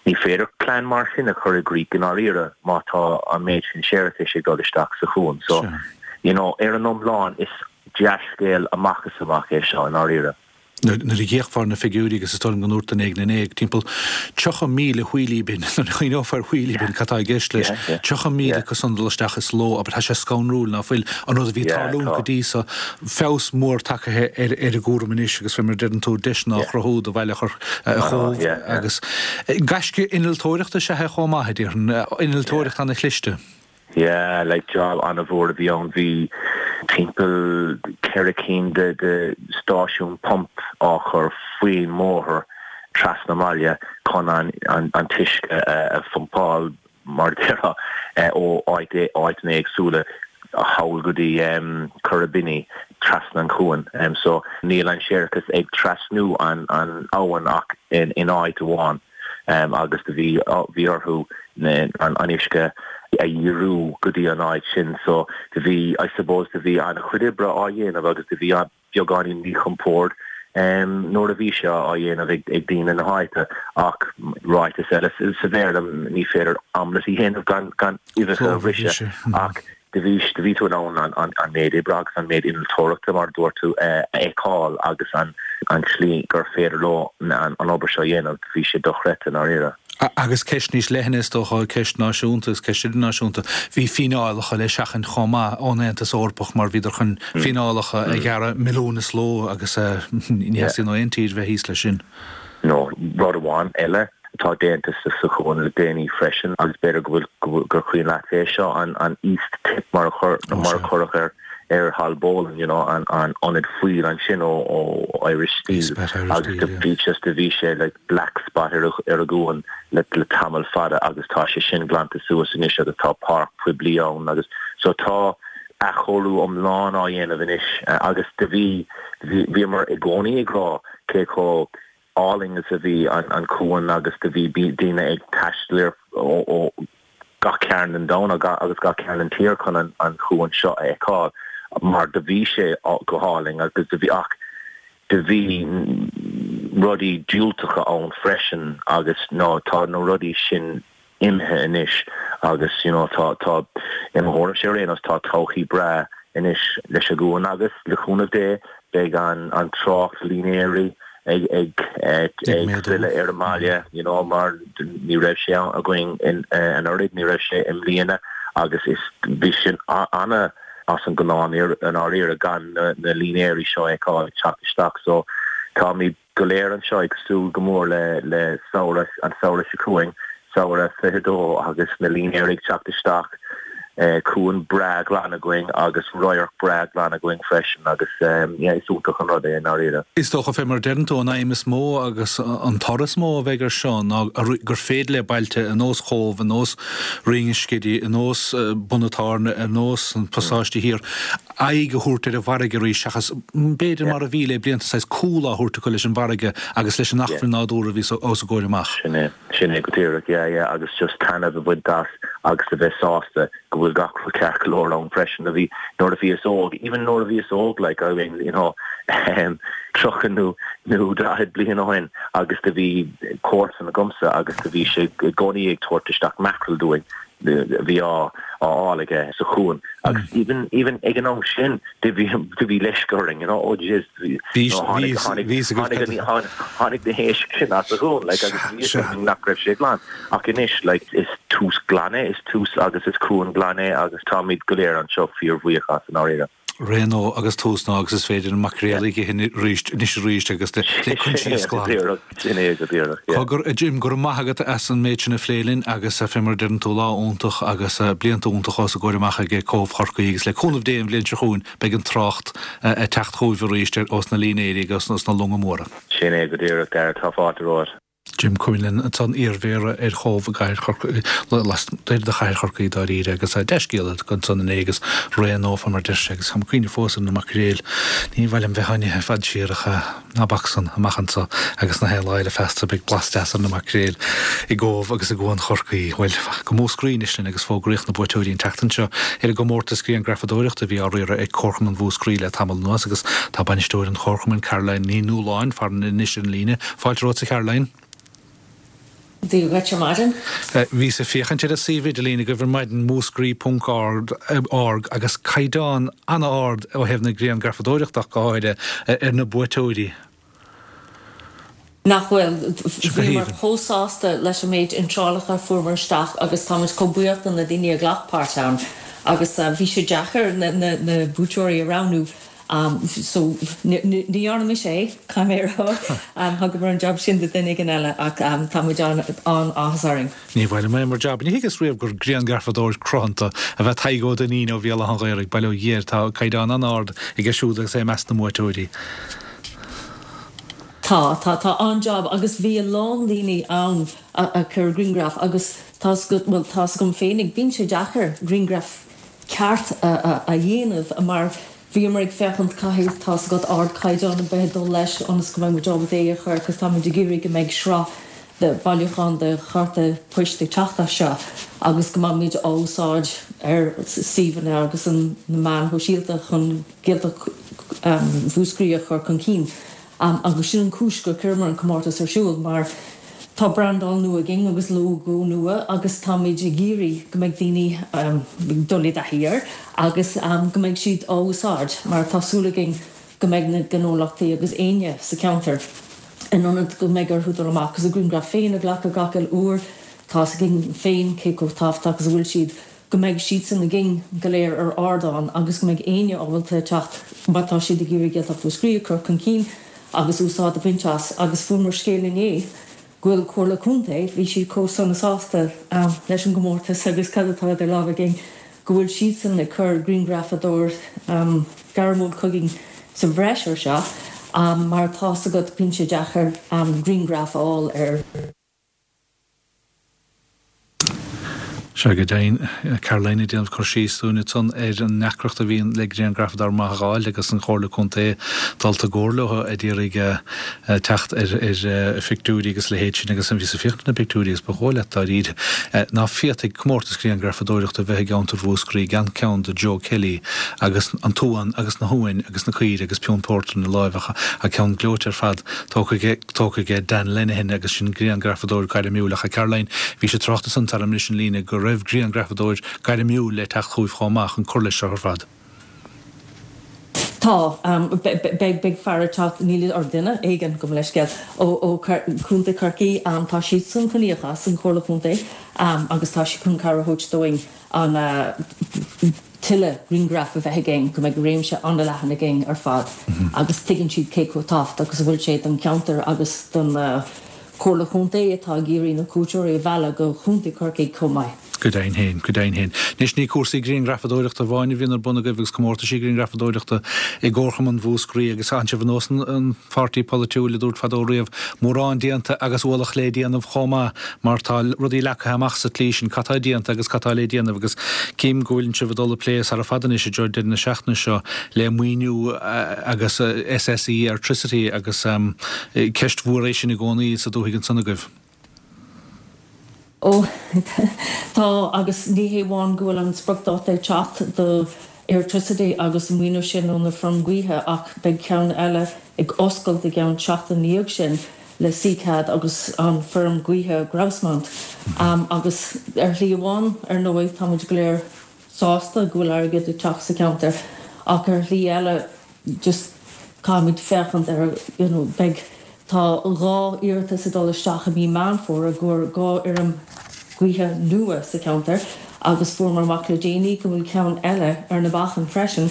[SPEAKER 2] Ní féidir plean mar sin a chur i gcrích i ndáiríre má tá an méid sin séarachais ag dul isteach sa chuan. So you know ar an iomlán is dea-scéal amach is amach é seo i ndáiríre.
[SPEAKER 1] Nuair a d'fhéachfá ar na figiúirí, agus is dóigh liom go ndúirt duine éigin inné, timpeall 30,000 wheelie bin, nuair a chuimhneofá ar wheelie bin, cad tá i gceist leis, 30,000 acu san dul isteach is ló, abair, tá sé scanrúil, ná fuil, an rud a bhí ag tarlúint go dtí so, feabhas mór tagtha ar ar an gcúram anois agus fé mar a deireann tú, deiseanna á chruthú do bhaile Chóbh agus gaisce innealtóireachta is ea é chomh maith, a déarfainn, innealtóireacht ana-chliste.
[SPEAKER 2] Yeah, like job an-mhór a bhí ann. Bhí timpeall 4 cinn de de stáisiún pump á chur faoin mbóthar trasna an bhaile chun an an an t-uisce a phumpáil mar a déarfá ó áit áiteanna éagsúla thall go dtí Currabinny trasna an chuain. So níl an séarachas ag trasnú an an abhainn ach in in áit amháin. agus do bhí bhí orthu an uisce a dhíriú go dtí an áit sin so do bhí I suppose do bhí an-chuid oibre á dhéanamh agus do bhí beagáinín míchompord nuair a bhí sé á dhéanamh ag ag daoine na háite ach ráiteas eile sa Bhéarla ní féidir omelette a dhéanamh gan gan uibheacha a bhriseadh ach Do bhí, do bhí tú in ann an méid oibre agus an méid innealtóireachta, mar a dúirt tú, a fheiceáil agus an tslí gur féidir leo an obair seo a dhéanamh, bhí sé dochreidte, i ndáiríre.
[SPEAKER 1] Agus ceist níos leithne, is dócha, ceist náisiúnta agus ceist idirnáisiúnta, bhí fíneálacha le seachaint chomh maith ón Aontas Eorpach mar bhíodar chun fíneálacha a ghearradh milliún is ló agus ní theastaíonn ó aon tír bheith thíos leis sin.
[SPEAKER 2] No, rud amháin eile atá déanta sa chuan le déanaí freisin, agus b'fhéidir go bhfuil, gur cuimhin leat é seo, an East Tip mar a cuireadh air ar Haulbowline, you know, an ionad fuíll ansin ó Irish Steel agus do bhí just, do bhí sé like black spot ar an gcuan le tamall fada agus tá sé sin glanta suas anois agus tá páirc poiblí ann agus so tá athchóiriú iomlán á dhéanamh anois agus do bhí, bhíomar i gcónaí ag rá cé chomh álainn is a bhí an cuan agus do bhí daoine ag taisteal ó gach cearn den domhan agus gach cearn den tír chun an cuan seo a fheiceáil mar do bhí sé go hálainn agus do bhí ach do bhí rudaí diúltacha ann freisin agus ná tá na rudaí sin imithe anois agus you know tá tá i mo thuairimse ar aon nós tá todhchaí breá anois leis an gcuan agus le cúnamh Dé beidh an an trácht línéirí ag ag ag filleadh ar an mbaile you know mar ní raibh sé againn in anuraidh ní raibh sé i mbliana agus is bhí sin ana as an ngnáth i ndáiríre gan na na línéirí seo a fheiceáil ag teacht isteach so táimid go léir anseo ag súil go mór le le samhradh, an samhradh seo chugainn, samhradh 22 agus na línéirí ag teacht isteach, cuan breá glan againn agus radharc breá glan againn freisin agus yeah is iontach an rud é i ndáiríre.
[SPEAKER 1] Is dócha, fé mar a deireann tú, an aidhm is mó agus an toradh is mó a bheidh air seo ná gur féidir le bailte ar nós Chóbh, ar nós Rinn an Scidígh, ar nós Bun an Tairne, ar nós an Pasáiste Thiar, aghaidh a thabhairt ar an bhfarraige arís seachas, b'fhéidir, mar a bhí le blianta, saghas cúl á thabhairt acu leis an bhfarraige agus leis an acmhainn nádúrtha a bhí os a gcomhair amach.
[SPEAKER 2] Sin é, sin é go díreach, yeah, yeah, agus just taitneamh a bhaint as agus a bheith sásta go bhfuil gach rud ceart go leor ann freisin. A bhí, nuair a bhíos óg, even nuair a bhíos óg, like, I mean, you know, 30 nó, nó 40 bliain ó shin agus do bhí comharsan agamsa agus do bhí sé i gcónaí ag tabhairt isteach mackerel dúinn. a bhí á fháil aige sa chuan agus even even ag an am sin do bhí do bhí leisce orainn you know oh jeez bhí tháinig tháinig tháinig tháinig na héisc sin as an gcuan like agus bhí fhios againn nach raibh sé glan ach anois like is tús glan é is tús agus is cuan glan é agus táimid go léir anseo fíorbhuíoch as i ndáiríre.
[SPEAKER 1] Ré nua agus tús nua agus is féidir an maicréal a ithe arís anois arís agus le coinsias glan.
[SPEAKER 2] Sin é go díreach,
[SPEAKER 1] yeah. Cogar, a Jim, go raibh maith agat as an méid sin a phlé linn agus fé mar a deireann tú, lá iontach agus blianta iontacha os a gcomhair amach ag Cóbh Chorcaí agus le cúnamh Dé an bhliain seo chugainn beidh an trácht ag teacht chugaibh arís ós na línéirí agus ós na longa móra.
[SPEAKER 2] Sin é go díreach, Dara, tá fáilte romhat.
[SPEAKER 1] Jim Quinlan ansan, iarMhéara ar Chóbh i gcathair Chorcaí, lastoir de chathair Chorcaí dáiríre, agus dea-scéal ansan inné agus ré-nófa mar deir sé, agus táim ag cuimhneamh fós ar na maicréil. Ní mhaith liom bheith á n-ithe i bhfad siar ach ná bac san, amach anso agus na haon lá eile feasta beidh blas deas ar na maicréil i gCóbh agus i gCuan Chorcaí. Bhuel, go Múscraí anois linn agus fógraíodh na buaiteoirí an tseachtain seo ar an gcomórtas grianghrafadóireachta a bhí á riaradh ag Comharchumann Mhúscraí le tamall anuas agus tá bainisteoir an Chomharchumainn, Caroline Ní Nualláin, farainn anois ar an líne. Fáilte romhat a Charoline.
[SPEAKER 4] Dia dhuit ar maidin.
[SPEAKER 1] Bhíos ag féachaint ar an suíomh idirlín agaibh ar maidin, múscraí ponc org, agus caighdeán an-ard ó thaobh na grianghrafadóireachta ach go háirithe, ar na buaiteoirí.
[SPEAKER 4] Nach bhfuil? Bhíomar chomh sásta leis an méid iontrálacha a fuaireamar isteach agus táimid chomh buíoch do na daoine a ghlac páirt ann agus bhí sé deacair na buaiteoirí a roghnú. So, ní dhearna mise é, caithfidh mé a rá. Thugamar an jab sin do duine éigin eile ach tá muid an-áthas orainn.
[SPEAKER 1] Ní mhaith liom é mar jab. Ní thuigeas riamh gur grianghrafadóir cruthanta ab ea Tadhg Ó Duinnín ó Bhéal Átha an Ghaorthaidh, bail ó Dhia air, tá caighdeán an-ard aige siúd agus é i measc na mbuaiteoirí.
[SPEAKER 4] Tá, tá, tá an-jab agus bhí a lán daoine ann a chuir grianghraif agus tá, bhuel, tá's agam féinig, bíonn sé deacair grianghraf ceart a dhéanamh mar bhíomar ag féachaint caithfidh tá's agat ardchaighdeán a bheith ag dul leis ionas go mbeidh muid ábalta é a chur agus táimid ag iarraidh go mbeidh sraith de bhailiúchán de chárta poist ag teacht as seo agus go mbeimid á úsáid ar suíomhanna agus an na meáin shóisialta chun Gaeltacht Mhúscraí a chur chun cinn. Agus sin an chúis gur chuireamar an comórtas ar siúl mar tá brandáil nua againn agus lógó nua agus táimid ag iarraidh go mbeidh daoine ag dul i dtaithí air agus go mbeidh siad á úsáid mar tá súil againn go mbeidh na gnólachtaí agus éinne sa cheantar in ionad go mbeidh orthu dul amach agus a ngrianghraif féin a ghlacadh gach uile uair, tá's againn féin cé chomh tábhachtach is a bhfuil siad. go mbeidh siadsan againn go léir ar ardán agus go mbeidh éinne ábalta teacht má tá siad ag iarraidh Gaeltacht Mhúscraí a chur chun cinn agus úsáid a bhaint as agus fuaireamar scéal inné go bhfuil Comhairle Contae, bhí siad chomh sona sásta leis an gcomórtas agus cad atá idir lámha againn, go bhfuil siadsan ag cur grianghrafadóir gairmiúil chugainn sa bhreis ar seo mar tá's agat bíonn sé deacair grianghraf a fháil ar.
[SPEAKER 1] Sea, go deimhin, Caroline ag déanamh cur síos dúinn ansan ar an ndeacracht a bhíonn le grianghrafadóir maith a dh'fháil agus an Chomhairle Contae dulta i gcomhairle leo ag iarraidh teacht ar phictiúirí agus a leithéid sin agus bhíos ag féachaint ar na pictiúirí agus ba dhóigh leat dáiríre ná féadfaidh comórtas grianghrafadóireachta a bheith i gceantar Mhúscraí gan ceann de Joe Kelly agus an t-uan agus na huain agus na caoire agus piúnt pórtair ina láimh ach ceann gleoite ar fad tógtha aige tógtha aige Dan Lenihan agus sin grianghrafadóir gairmiúil ach a Caroline, bhís ag trácht ansan tar anois an líne go raibh grianghrafadóir gairmiúil le teacht chugaibh chomh maith chun cur leis seo ar fad.
[SPEAKER 4] Tá. Beidh, beidh fear ag teacht, níl, or duine éigin, gabh mo leithscéal, ó, ó Chontae Chorcaí. Tá siadsan chun íoc as, an Chomhairle Chontae, agus tá siad chun cabhair a thabhairt dúinn an, tuilleadh grianghraf a bheith againn, go mbeidh réimse an-leathan againn ar fad agus tuigeann siad cé chomh tábhachtach is a bhfuil sé don cheantar agus don Chomhairle Chontae atá ag iarraidh na cuairteoirí a mhealladh go Chontae Chorcaí chomh maith.
[SPEAKER 1] Go deimhin féin, go deimhin féin. Anois, ní cúrsaí grianghrafadóireachta amháin a bhíonn ar bun agaibh agus comórtaisí grianghrafadóireachta i gComharchumann Mhúscraí agus tánn sibh ar nós an pháirtí polaitiúil a dúirt fadó riamh, mórán déanta agus ualach lé déanamh chomh maith. mar tá rudaí leagtha amach sa tslí sin, cad tá déanta agus cad tá le déanamh agus cím go bhfuileann sibh ag dul ag plé sara fada anois i dtreo deireadh na seachtaine seo le maoiniú agus SSE Airtricity agus ceist mhór é sin i gcónaí sa dúthaigh ansan agaibh.
[SPEAKER 4] Ó tá agus ní hé amháin go bhfuil an spriocdháta ag teacht do Airtricity agus an maoiniú sin ó na feirm gaoithe ach beidh ceann eile ag oscailt i gceann seachtain ina dhiaidh sin le Seacad agus an feirm gaoithe Grouse Mount. Agus ar shlí amháin, ar ndóigh, tá muid go léir sásta go bhfuil airgead ag teacht sa cheantar ach ar shlí eile just caithfimid féachaint ar, you know, beidh, tá 2 iarratas ag dul isteach i mí Meán Fómhair i gcomhair 2 fheirm gaoithe nua sa cheantar agus fuaireamar amach le déanaí go bhfuil ceann eile ar na bacáin freisin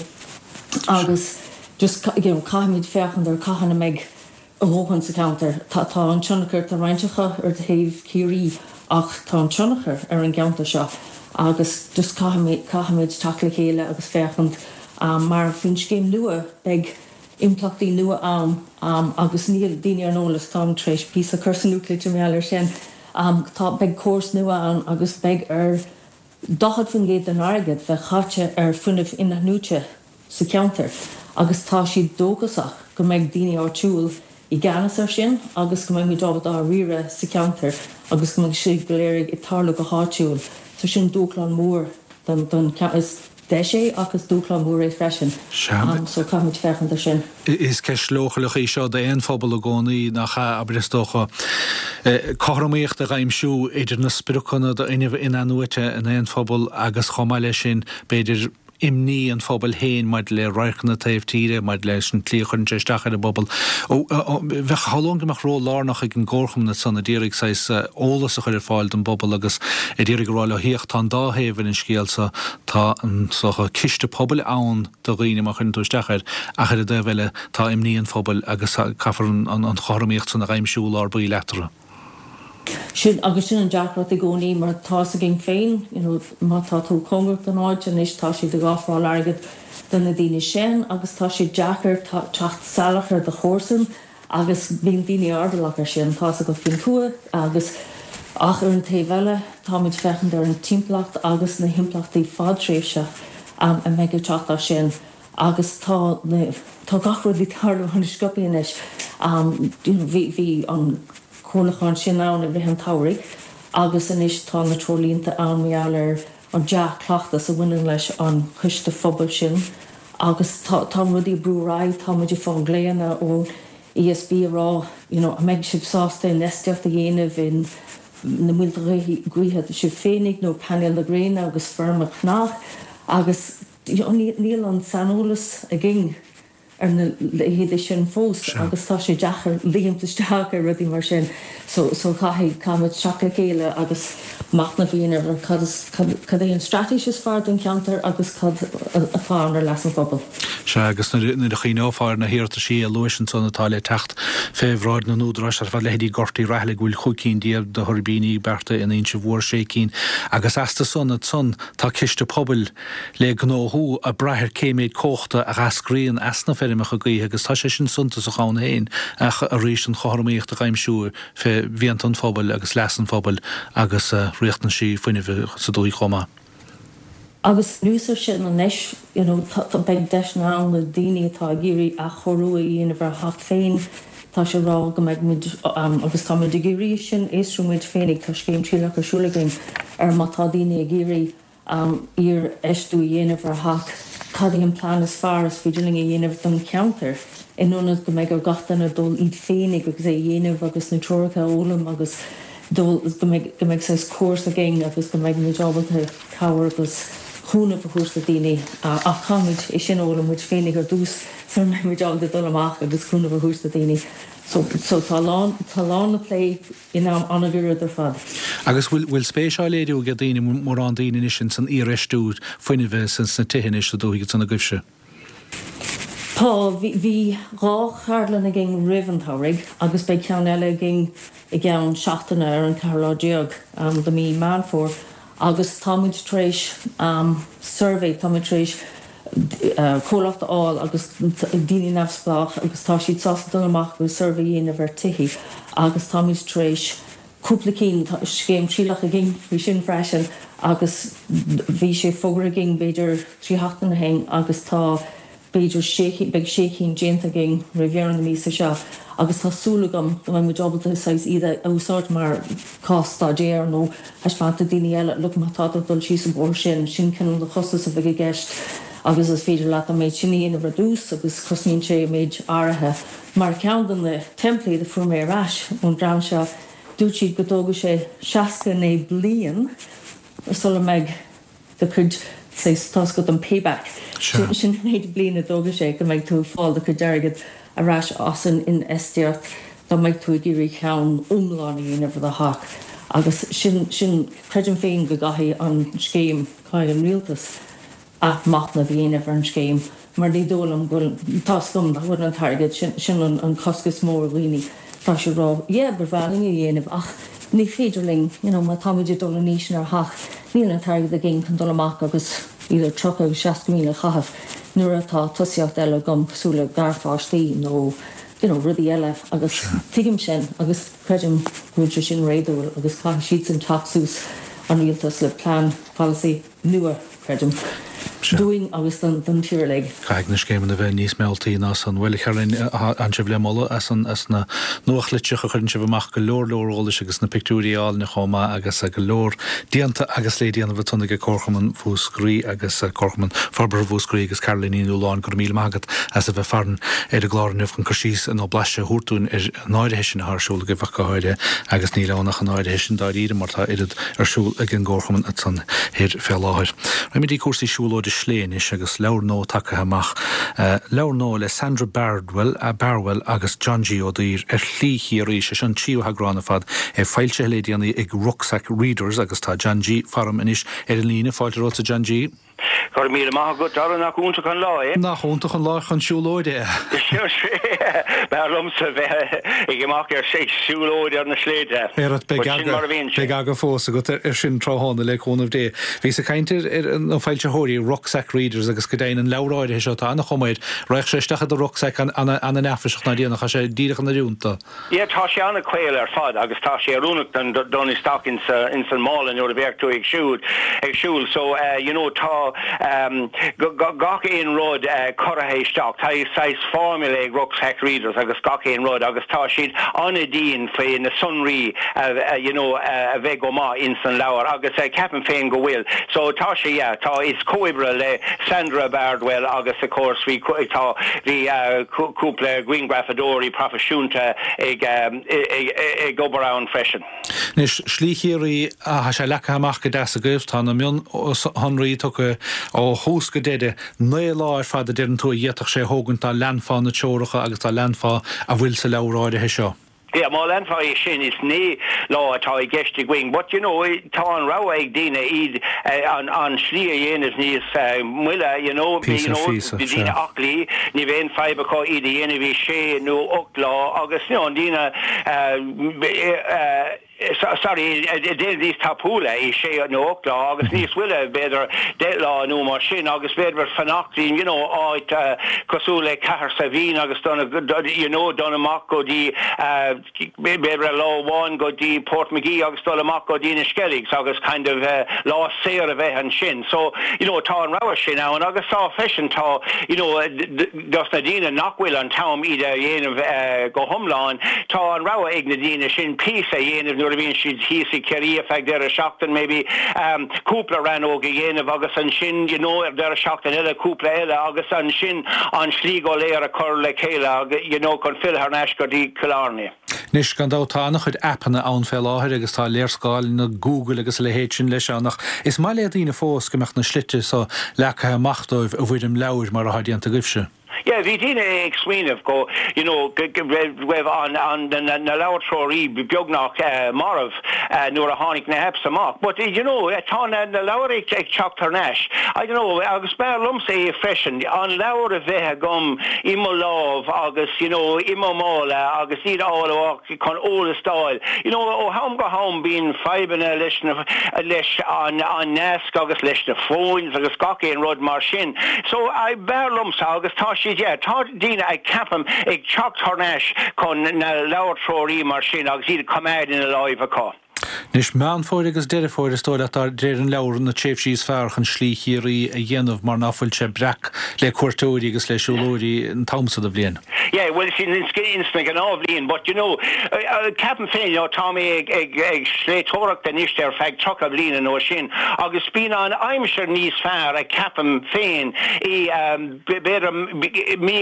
[SPEAKER 4] agus just, you know, caithfimid féachaint ar cathain a mbeidh a dhóthain sa cheantar. Tá tá an tionchar, tá roinnt acu ar thaobh Chiarraí ach tá an tionchar ar an gceantar seo agus just caithfimid, caithfimid teacht le chéile agus féachaint mar faoin scéim nua beidh. Impleachtaí nua ann agus níl daoine ar an eolas, táim tar éis píosa a chur sa nuachtlitir mar gheall air sin. Tá, beidh córas nua ann agus beidh ar 40% den airgead bheith caite ar fuinneamh inathnuaite sa cheantar agus tá siad dóchasach go mbeidh daoine áitiúil i gceannas air sin agus go mbeidh muid ábalta á riaradh sa cheantar agus go mbeidh sé go léir ag tarlú go háitiúil. So sin dúshlán mór don, don, is deis é ach is dúshlán mór é freisin.
[SPEAKER 1] Sea.
[SPEAKER 4] So caithfimid féachaint air sin.
[SPEAKER 1] Is ceist leochaileach í seo d'aon phobal i gcónaí, nach ea? Abair, is dócha, cothromaíocht a dh'aimsiú idir na spriocanna d'fhuinneamh in-athnuaite in aon phobal agus chomh maith leis sin, b'fhéidir, imní an phobail féin maidir le radharcanna taobh tíre, maidir leis an tslí a chuireann sé isteach ar an bpobal. Bheadh, shamhlóinn go mbeadh ról lárnach ag an gcomharchumann ansan a d'iarraidh saghas eolas a chur ar fáil don bpobal agus a d'iarraidh a rá leo, féach, tá an dá thaobh ar an scéal so, tá an, is dócha, ciste pobail ann do dhaoine má chuireann tú isteach air ach ar an dtaobh eile tá imní an phobail agus caithfear an chothromaíocht san a dh'aimsiú i lár baill eatarthu.
[SPEAKER 4] Sin, agus sin an deacracht i gcónaí mar tá's againn féin, you know, má tá tú cóngarach don áit anois tá siad ag ofráil airgead do na daoine sin agus tá sé deacair teacht salach ar do chomharsan agus bíonn daoine airdeallach ar sin, tá's agat faoin tuath agus ach ar an taobh eile táimid féachaint ar an timpeallacht agus na himpleachtaí fadtréimhse a mbeidh ag teacht as sin. Agus tá na, tá gach rud ag tarlú an-sciobtha anois. You know, bhí, bhí an comhairliúchán sin ann i rith an tsamhraidh agus anois tá na treoirlínte ann mar gheall ar an dea-chleachtas a bhaineann leis an choiste phobail sin agus tá, tá rudaí ag brú ar aghaidh, tá muid ag fáil glaonna ón ESB ag rá, you know, an mbeidh sibh sásta infheistíocht a dhéanamh in na muilte gaoithe sibh féinig nó painéil na gréine agus feirmeacha cnoic agus Níl an saineolas againn ar na leithéidí sin fós agus tá sé deacair ligint isteach ar rudaí mar sin so so caithfidh, caithfimid teacht le chéile agus machnamh a dhéanamh ar cad is, cad é an straitéis is fearr don cheantar agus cad atá ann ar leas an phobail.
[SPEAKER 1] Sea, agus nuair a chuimhneofá ar na hiarrataisí a luais ansan atá le teacht fé bhráid na n-údaráis ar fad, leithéidí Ghort Uí Raghallaigh go bhfuil 15 cinn de thuirbíní beartaithe in Inse Mhór, sé cinn, agus astu san ansan tá ciste pobail le gnóthú ag brath ar cé méid cumhachta a dh'eascraíonn as na feirmeacha gaoithe agus tá sé sin suntasach ann féin ach arís an chothromaíocht a dh'aimsiú fé mhianta an phobail agus leas an phobail agus riachtanaisí fuinnimh sa dúthaigh chomh maith.
[SPEAKER 4] Agus anuas ar sin anois you know beidh deiseanna ann do daoine atá ag iarraidh athchóiriú a dhéanamh ar a theach féin, tá sé ag rá go mbeidh muid agus tá muid ag iarraidh sin, fhiosrú muid féinig, tá scéim trialach ar siúl againn ar má tá daoine ag iarraidh iarfheistiú a dhéanamh ar theach, cad é an plean is fearr is féidir linn a dhéanamh don cheantar, in ionad go mbeidh ar gach duine dul iad féinig agus é a dhéanamh agus na treoracha a fhoghlaim agus dul, go mbeidh, go mbeidh saghas córas againn agus go mbeidh muid ábalta cabhair agus cúnamh a thabhairt do daoine. Ach caithfimid é sin a fhoghlaim muid féinig ar dtús sula mbeidh muid ábalta dul amach agus cúnamh a thabhairt do daoine. So, so tá a lán, tá a lán le plé. in am an-ghairid ar fad.
[SPEAKER 1] Agus bhfuil, bhfuil spéis á léiriú ag daoine, mórán daoine anois ins an iarfheistiú fuinnimh sna tithe anois sa dúthaigh ansan agaibhse?
[SPEAKER 4] Tá, bhí, bhí dhá cheardlann againn roimh an tsamhraidh agus beidh ceann eile againn i gceann seachtaine ar an ceathrú lá déag de mí Meán Fómhair. Agus tá muid tar éis suirbhé, tá muid tar éis comhlacht a fháil agus daoine neamhspleách agus tá siad sásta dul amach agus suirbhé a dhéanamh ar tithe agus tá muid tar éis cúpla cinn, tá scéim trialach againn faoi sin freisin agus bhí sé fógartha againn b'fhéidir 3 sheachtain ó shin agus tá b'fhéidir sé cinn, beidh sé cinn déanta againn roimh dheireadh na míosa seo agus tá súil agam go mbeidh muid ábalta saghas iad a úsáid mar cás staidéir nó thaispeáint do daoine eile, look má tá tú ag dul síos an bóthar sin, sin cineál de chostas a bheidh i gceist agus is féidir leat an méid sin a dhéanamh ar dtús agus cosnaíonn sé méid áirithe. Mar ceann de na teimpléid a fuair mé ar ais ón dream seo, dúirt siad go dtógfaidh sé 69 bliain sula mbeidh do chuid, saghas, tá's agat an payback, sin, sin an méid bliain a dtógfaidh sé go mbeidh tú ag fáil do chuid airgead ar ais as an infheistíocht dá mbeidh tú ag iarraidh ceann iomlán a dhéanamh ar do theach. Agus sin, sin, creidim féin go gcaithfidh an scéim, caithfidh an rialtas athmhachnamh a dhéanamh ar an scéim mar ní dóigh liom go bhfuil, tá's agam nach bhfuil an t-airgead, sin, sin an, an cosc is mó ar dhaoine, tá siad ag rá yeah ba bhreá linn é a dhéanamh ach ní féidir linn, you know má táimid ag dul in aois inár theach, níl an t-airgead againn chun dul amach agus idir 30 agus 60 míle a chaitheamh. nuair atá tosaíocht eile agam cosúil le garpháistí nó you know rudaí eile agus tuigim sin agus creidim go bhfuil sé sin réadúil agus caithfidh siadsan teacht suas an rialtas le plean polasaí nua creidim dúinn
[SPEAKER 1] agus don tír uilig. Caithfidh na scéimeanna bheith níos mealltaí ná san. Bhuel, a Charoline, tánn sibh le moladh as as na nuachtlitreacha a chuireann sibh amach, go leor leor eolais agus na pictiúirí álainne chomh maith agus go leor déanta agus le déanamh ansan ag Comharchumann Mhúscraí agus Comharchumann Forbartha Mhúscraí agus Caroline Ní Nualláin, go raibh míle maith agat as a bheith farainn ar an gclár inniu chun cur síos nó blaiseadh a thabhairt dúinn ar an áirithe sin atá ar siúl agaibh ach go háirithe agus níl ann ach an áirithe sin dáiríre mar tá oiread ar siúl ag an gComharchumann ansan thoir fé láthair. Raghaimid dtí cúrsaí siúlóide slé anois agus leabhar nua tagtha amach. Leabhar nua le Sandra Bardwell, Barwell agus John G. Ó Duibhir, Ar Shlí Chiarraí. Sé seo an tríú heagrán ar fad, é foilsithe le déanaí ag Rucksack Readers agus tá John G. faram anois ar an líne. Fáilte romhatsa John G.
[SPEAKER 5] Go raibh míle maith agat, Darragh, nach iontach an lá é?
[SPEAKER 1] Nach iontach an lá chun siúlóide
[SPEAKER 5] é? B'fhearr liomsa bheith ag imeacht ar siúlóid ar na sléibhte.
[SPEAKER 1] But sin mar a bhíonn sé. Beidh aga fós agat ar sin tráthnóna le cúnamh Dé. Bhíos ag caint ar na foilsitheoirí, Rucksack Readers, agus go deimhin an leabhar áirithe seo, tá ana-chuma air. Raghadh sé isteach i do rucksack ana-neafaiseach ná déanach, tá sé díreach in oiriúint
[SPEAKER 5] dó. Yeah, tá sé an-chaol ar fad agus tá sé oiriúnach don dul isteach ins ins an mála nuair a bheadh tú ag siúl ag siúl so you know tá gach aon rud curtha isteach. Tá saghas formula ag Rucksack Readers agus gach aon rud agus tá siad an-dian faoi na sonraí you know a bheith go maith ins an leabhar agus ceapaim féin go bhfuil. So tá sé yeah tá is comhoibre le Sandra Bardwell agus of course bhí tá bhí cúpla grianghrafadóirí proifisiúnta ag ag obair ann freisin.
[SPEAKER 1] Anois, Slí Chiarraí, tá sé leagtha amach go deas agaibh, tá na mionshonraí tugtha ó thús go deireadh. 9 lá ar fad a deireann tú a d'fhéadfadh sé a thógaint dá leanfá na treoracha agus dá leanfá a bhfuil sa leabhar áirithe seo.
[SPEAKER 5] Yeah, má leanfá é sin, is 9 lá atá i gceist againn. But, you know, tá an rogha ag daoine iad an an slí a dhéanamh níos moille, you know, you know, daoine aclaí, ní bheidh aon fadhb acu iad a dhéanamh i sé nó 8 lá agus, you know, daoine eh, sorry, déanamh níos tapúla i sé nó 8 lá agus níos moille b'fhéidir 10 lá nó mar sin agus b'fhéidir fanacht in you know áit cosúil le Cahersiveen agus dul you know dul amach go dtí b'fhéidir lá amháin go dtí Portmagee agus dul amach go dtí na Skelligs agus kind of lá saor a bheith ansin. So you know tá an rogha sin ann agus tá freisin tá you know Dos na daoine nach bhfuil an t-am iad a dhéanamh go hiomlán, tá an rogha ag na daoine sin píosa a dhéanamh nuair a bhíonn siad thíos i Ciarraí ar feadh deireadh seachtain maybe, cúpla rannóg a dhéanamh agus ansin you know ar deireadh seachtain eile cúpla eile agus ansin an slí go léir a chur le chéile you know chun filleadh thar n-ais go dtí Cill Airne.
[SPEAKER 1] Anois, gan dabht, tá an-chuid aipeanna ann fé láthair agus tá léarscáileanna Google agus a leithéid sin leis ann ach is maith le daoine fós go mbeadh na slite so leagtha amach dóibh i bhfoirm leabhair mar atá déanta agaibhse.
[SPEAKER 5] Yeah, bhí daoine ag smaoineamh go, you know, go raibh an, an, na, na leabhair treoraí beagnach marbh nuair a tháinig na apps amach. But, you know, tá na, na leabhair ag, ag teacht thar n-ais. I don't know, agus b'fhearr liomsa é freisin, an leabhar a bheith agam i mo lámh agus you know i mo mhála agus iad a fháil amach chun eolas d'fháil. You know ó am go ham bíonn fadhbanna leis na leis an an nasc agus leis na phones agus gach aon rud mar sin. So I b'fhearr liomsa agus tá siad yeah tá daoine ag ceapaim ag teacht thar n-ais chun na leabhair treoraí mar sin agus iad a choimeád ina láimh acu.
[SPEAKER 1] Anois, Meán Fómhair agus Deireadh Fómhair, is dóigh leat, de réir an leabhair, na tréimhsí is fearr chun Slí Chiarraí a dhéanamh mar ná fuil sé breac le cuairteoirí agus le siúlóirí an t-am so de bhliain.
[SPEAKER 5] Yeah, bhuel, sin ins na gnáthbhliain, but you know, ceapaim féin, you know, tá mé ag, ag, ag sléibhteoireacht anois ar feadh 30 bliain nó sin agus bíonn an aimsir níos fearr, ceapaim féin, i, b'fhéidir mí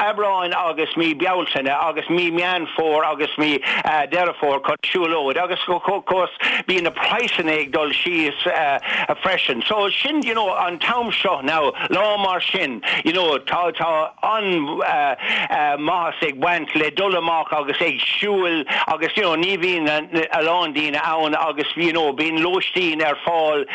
[SPEAKER 5] Aibreáin agus mí Bealtaine agus mí Meán Fómhair agus mí Deireadh Fómhair chun siúlóid agus of course bíonn na praghsanna ag dul síos freisin. So sin you know an t-am seo now, lá mar sin you know tá tá an-mhaitheas ag baint le dul amach agus ag siúl agus you know ní bhíonn a lán daoine ann agus you know bíonn lóistín ar fáil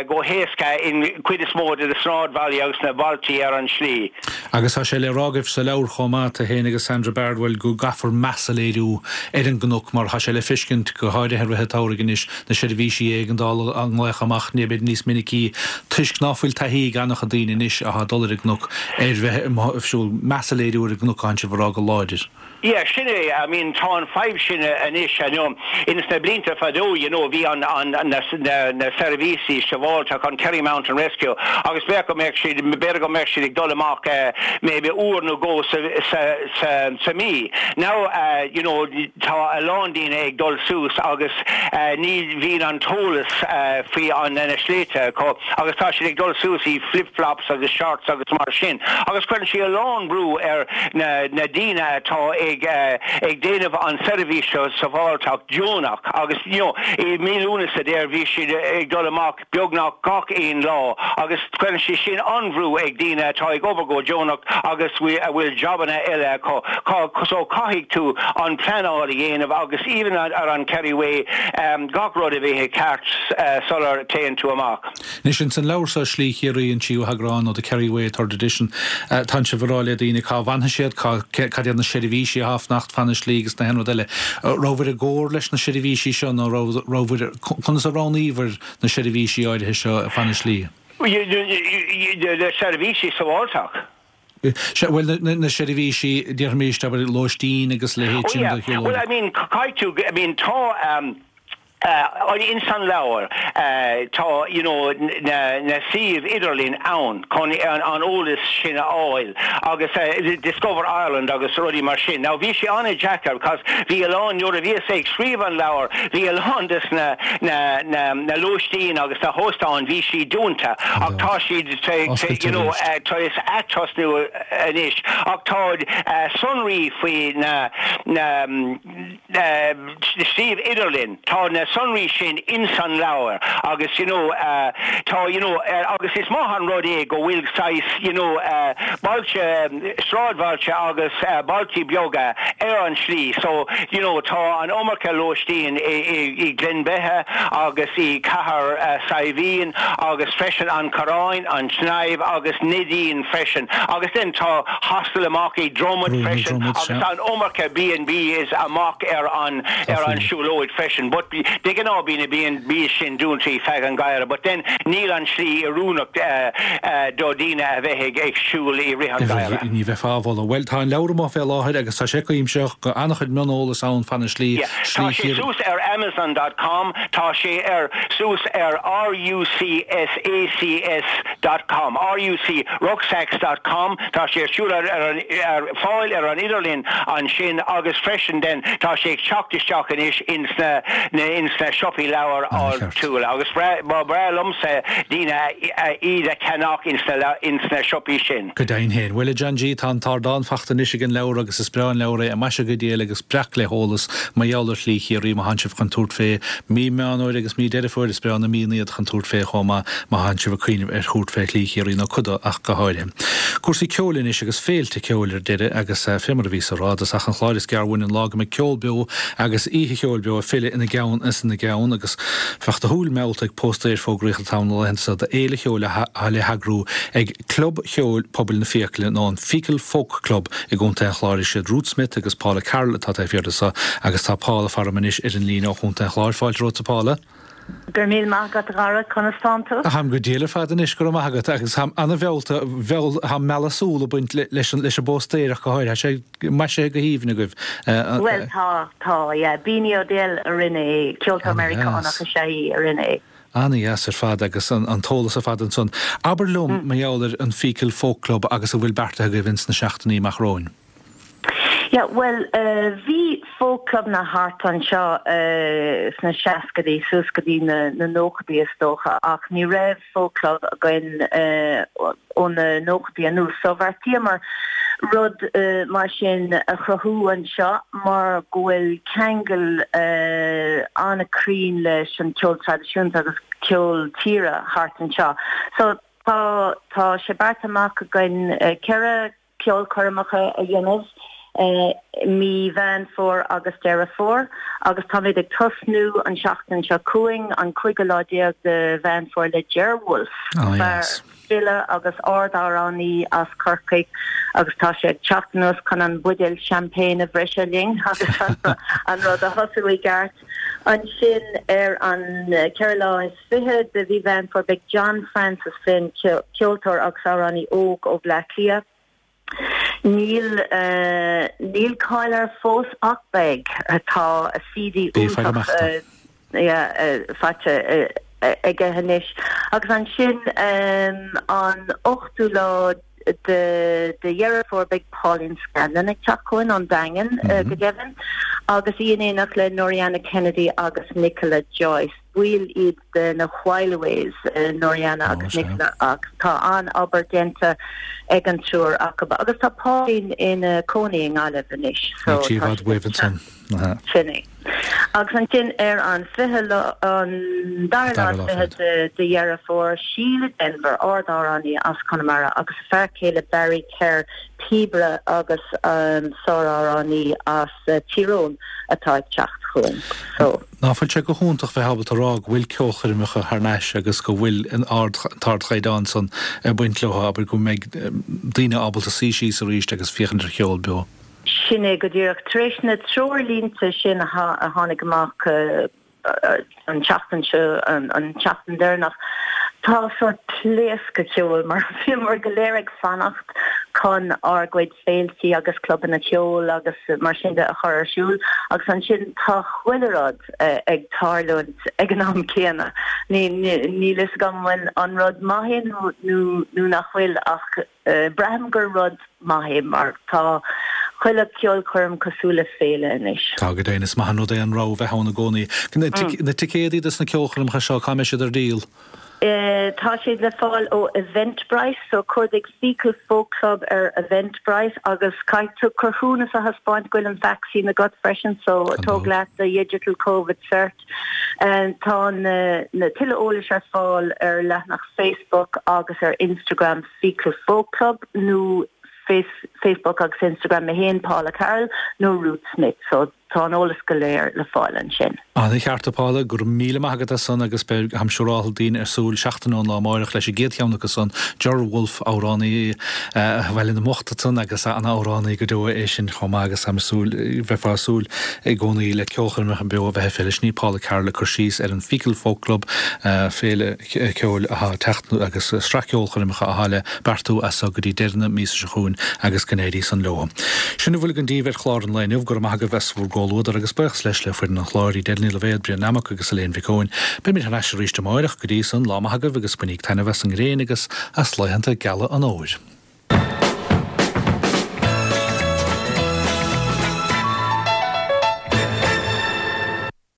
[SPEAKER 5] go héasca in cuid is mó de na sráidbhailí agus na bailtí ar an slí.
[SPEAKER 1] Agus tá sé le rá agaibh sa leabhar chomh maith, tú féin agus Sandra Bardwell, go gcaithfear meas a léiriú ar an gcnoc mar tá sé le feiscint, go háirithe i rith an. an tsamhraidh anois, na seirbhísí éigeandála á nglaoch amach b'fhéidir níos minicí toisc ná fuil taithí ag an-chuid daoine anois atá ag dul ar an gcnoc ar bheith amuigh ag siúl, meas a léiriú ar an gcnoc atánn sibh a rá go láidir.
[SPEAKER 5] Yeah, sin é, I mean tá an fadhb sin anois, you know, ins na blianta fadó, you know, bhí an, an, na, na, na seirbhísí sábháilteachta, an Kerry Mountain Rescue, agus b'fhéidir go mbeadh siad, b'fhéidir go mbeadh siad ag dul amach eh, maybe uair nó dhó sa, sa, sa, sa mí. Now, eh, you know, tá a lán daoine ag dul suas agus eh, ní bhíonn an t-eolas eh, faoi an, na sléibhte acu agus tá siad ag dul suas i flip-flops agus shorts agus mar sin agus cuireann sé a lán brú ar na na daoine atá ag ag déanamh an seirbhís seo sábháilteacht deonach agus you know i mí Lúnasa there bhí siad ag dul amach beagnach gach aon lá agus cuireann sé sin an-bhrú ag daoine atá ag obair go deonach agus a bhfuil jabanna eile acu so caithfidh tú an pleanáil a dhéanamh agus even ar an Kerry Way gach rud a bheith i ceart sular téann tú amach.
[SPEAKER 1] Anois, ins an leabhar seo, Slí Chiarraí, an tríú heagrán, nó The Kerry Way, Third Edition, tánn sibh ag rá le daoine cá bhfanfaidh siad, cá, cad iad na seirbhísí atá ag fanacht fan na slí agus na haon rud eile. Rabhabhair i gcomhar leis na seirbhísí seo nó raibh, rabhabhair, conas a roghnaíobhair na seirbhísí áirithe seo fan na slí?
[SPEAKER 5] Na seirbhísí sábháilteacht.
[SPEAKER 1] Sea, bhuel, na, na seirbhísí, déarfaimis, abair, lóistín agus a leithéid
[SPEAKER 5] Oh
[SPEAKER 1] sin
[SPEAKER 5] yeah,
[SPEAKER 1] do
[SPEAKER 5] well
[SPEAKER 1] shiúlóirí.
[SPEAKER 5] I mean, caithfidh tú, I mean, tá, Ins an leabhar tá you know na na suímh idirlín ann chun an eolas sin a fháil agus Discover Ireland agus rudaí mar sin. Now bhí sé an-deacair because bhí a lán nuair a bhíos ag scríobh an leabhar bhí a lán des na na na na lóistín agus na hóstáin bhí siad dúnta ach tá siad
[SPEAKER 1] Oscailte
[SPEAKER 5] you know
[SPEAKER 1] arís.
[SPEAKER 5] tar éis atosnú anois ach tá sonraí faoi na na suíomh idirlín, tá na sonraí sin ins an leabhar agus you know tá you know agus is maith an rud é go bhfuil saghas you know bailte, sráidbhailte agus bailtí beaga ar an slí so you know tá an iomarca lóistín i Gleann Beithe agus i Cathair Saidhbhín agus freisin An Corrán, An tSnaidhm agus Neidín freisin agus then tá hostel amach i Dromod freisin agus an iomarca B&Bs amach ar an ar an siúlóid freisin but de ghnáth bíonn na B&Bs sin dúnta feadh an gheimhridh but then níl an slí oiriúnach do daoine a bheith ag ag siúl i rith an gheimhridh.
[SPEAKER 1] Ní bheifeá á mholadh. Bhuel tá an leabhar amuigh fé láthair agus tá sé cuimsitheach, an-chuid mioneolas ann fan na slí,
[SPEAKER 5] Yeah, tá
[SPEAKER 1] slí
[SPEAKER 5] sé
[SPEAKER 1] Chiarraí.
[SPEAKER 5] suas ar Amazon dot com, tá sé ar suas ar RUCSACS dot com, RUC, rucksacks dot com, tá sé ar siúl ar ar ar fáil ar an idirlíon ansin agus freisin then tá sé ag teacht isteach anois ins na na ins na siopaí leabhar áitiúla agus ba bhreá liomsa daoine iad a cheannach ins na ins na siopaí sin.
[SPEAKER 1] Go deimhin féin. Bhuel, a John G, tá an t-ardán fachta anois ag an leabhar agus is breá an leabhar é, maisithe go diail agus breac le heolas mar gheall ar Shlí Chiarraí má thánn sibh chun tabhairt fé mí Meán Fhómhair agus mí Deireadh Fómhair, is breá na míonna iad chun tabhairt fé chomh maith má thánn sibh ag cuimhneamh ar thabhairt fé Shlí Chiarraí nó cuid de ach go háirithe. Cúrsaí ceoil anois agus féilte ceoil ar deireadh agus fé mar a bhíos a rá i dtosach an chláir is gearr uainn an lá go mbeidh ceol beo agus oíche cheoil beo ag filleadh ina gceann is ina gceann agus bheadh do shúil meallta ag póstaer a fógraíodh le tamall na laethanta seo d'fhéile cheoil atá le heagrú ag Club Cheoil Pobail na Fiacaile nó an Feakle Folk Club i gContae an Chláir. Is iad Ruth Smith agus Paula Carroll atá taobh thiar de seo agus tá Paula farm anois ar an líne ó Chontae an Chláir. Fáilte romhat a Paula.
[SPEAKER 6] Go raibh míle maith agat a Dhara, conas tánn tú?
[SPEAKER 1] Táim go diail ar fad anois, go raibh maith agat, agus táim ana-mheallta, bheul, tá mealladh súl ag baint leis an, leis an bpóstaer ach go háirithe, tá sé maisithe go haoibhinn agaibh.
[SPEAKER 6] Bhuel tá, tá, yeah. Beanie O'Dell a rinne é, ceoltóir Meiriceánach is ea í a rinne é.
[SPEAKER 1] Ana-dheas ar fad agus an t-eolas ar fad ansan. Abair liom mar gheall ar an Feakle Folk Club agus a bhfuil beartaithe agaibh ins na seachtainí amach romhainn.
[SPEAKER 6] Yeah, bhuel, bhí folk clubanna thart anseo sna seascaidí suas go dtí na nóchaidí is dócha ach ní raibh folk club againn ó na nóchaidí anuas so bheartaíomar rud mar sin a chruthú anseo mar go bhfuil ceangal an-cruinn leis an ceol traidisiúnta agus ceol tíre thart anseo. So tá tá sé beartaithe amach againn 4 ceolchoirmeacha a dhéanamh i mí Mheán Fómhair agus Deireadh Fómhair agus táimid ag tosnú an seachtain seo chugainn, an cúigiú lá déag de Mheán Fómhair le Ger Wolfe, fear, file agus ard-amhránaí as Corcaigh agus tá sé ag teacht anuas chun an buidéal champagne a bhriseadh linn agus an rud a thosú i gceart. Ansin ar an 24 lá de mhí Mheán Fómhair beidh John Francis Flynn, ceoltóir agus amhránaí óg ó Bhleá Cliath. Níl níl cáil air fós ach beidh. Tá CD iontach faighte aige anois. Agus ansin an ochtú lá de Dheireadh Fómhair beidh Pauline Scanlon ag teacht chugainn ón Daingean go deimhin agus í in éineacht le Noriana Kennedy agus Nicola Joyce. Baill iad de na Whileaways, Noriana agus Nicola ach tá an-obair déanta ag an triúr acu agus tá Pauline ina cónaí i nGaillimh anois so
[SPEAKER 1] tá sí i bhfad uaibh ansan.
[SPEAKER 6] Sin é. Agus ansin ar an 20 lá, an dara lá is 20 de Dheireadh Fómhair, Síle Denvir, ard-amhránaí as Conamara agus a fear céile Barry Kerr, píobaire agus sár-amhránaí as Tír Eoghain atá ag teacht chugainn. So.
[SPEAKER 1] Ná fuil sé go hiontach bheith ábalta rá go bhfuil ceolchoirmeacha thar n-ais agus go bhfuil an t-ardchaighdeán san ag baint leo, abair, go mbeidh daoine ábalta suí síos arís agus féachaint ar cheol beo.
[SPEAKER 6] Sin é go díreach. Tar éis na treoirlínte sin a tháinig amach an tseachtain seo, an tseachtain deireanach, tá sórt pléascadh ceoil mar bhíomar go léir ag fanacht chun ár gcuid féiltí agus clubanna ceoil agus mar sin de a chur ar siúl agus ansin tá chuile rud ag tarlúint ag an am céanna. Níl fhios agam an bhfuil an rud maith é nó nach bhfuil ach Braithim gur rud maith é mar tá chuile ceolchoirm cosúil le féile anois.
[SPEAKER 1] Tá go deimhin. Is maith an rud é an rogha bheith ann i gcónaí. Na ticéadaí dos na ceolchoirmeacha seo, cá mbeidh siad ar díol?
[SPEAKER 6] Tá siad le fáil ó Eventbrite, so cuardaigh Feakle Folk Club ar Eventbrite agus caithfidh tú cruthúnas a thaispeáint go bhfuil an vacsaín agat freisin, so tóg leat do digital Covid cert. Tá na tuilleadh eolais ar fáil ar leathanach Facebook agus ar Instagram Feakle Folk Club nó Facebook agus Instagram mé féin, Paula Carroll, nó Ruth Smith. So tá an eolas go léir le fáil ansin.
[SPEAKER 1] Ana-cheart a Paula, go raibh míle maith agat as san agus beidh, táim siúráltha, daoine ar súil seachtain ón lá amáireach leis an gcéad cheann acu san, Ger Wolfe, amhránaí Bhaile na mBocht ansan agus ana-amhránaí go deo é sin chomh maith agus táim ag súil, bheifeá ag súil i gcónaí le ceolchoirmeacha beo a bheith ag féile. Sin í Paula Carroll ag cur síos ar an Feakle Folk Club, féile ceoil atá ag teacht agus sraith ceolchoirmeacha atá le beartú as so go dtí deireadh na míosa seo chugainn agus go n-éirí san leo. Sin a bhfuil againn daoibh ar chlár an lae inniu. Go raibh maith agaibh as bhur gcomhluadar agus buíochas leis le foireann an chláir, Edel Ní Loibhéad, Brian Nammock agus Elaine Mhic Eoin. Beimid thar n-ais arís amáireach. Go dtí san, lá maith agaibh agus bainíg taitneamh as an ngréin agus as laethanta geala an fhómhair.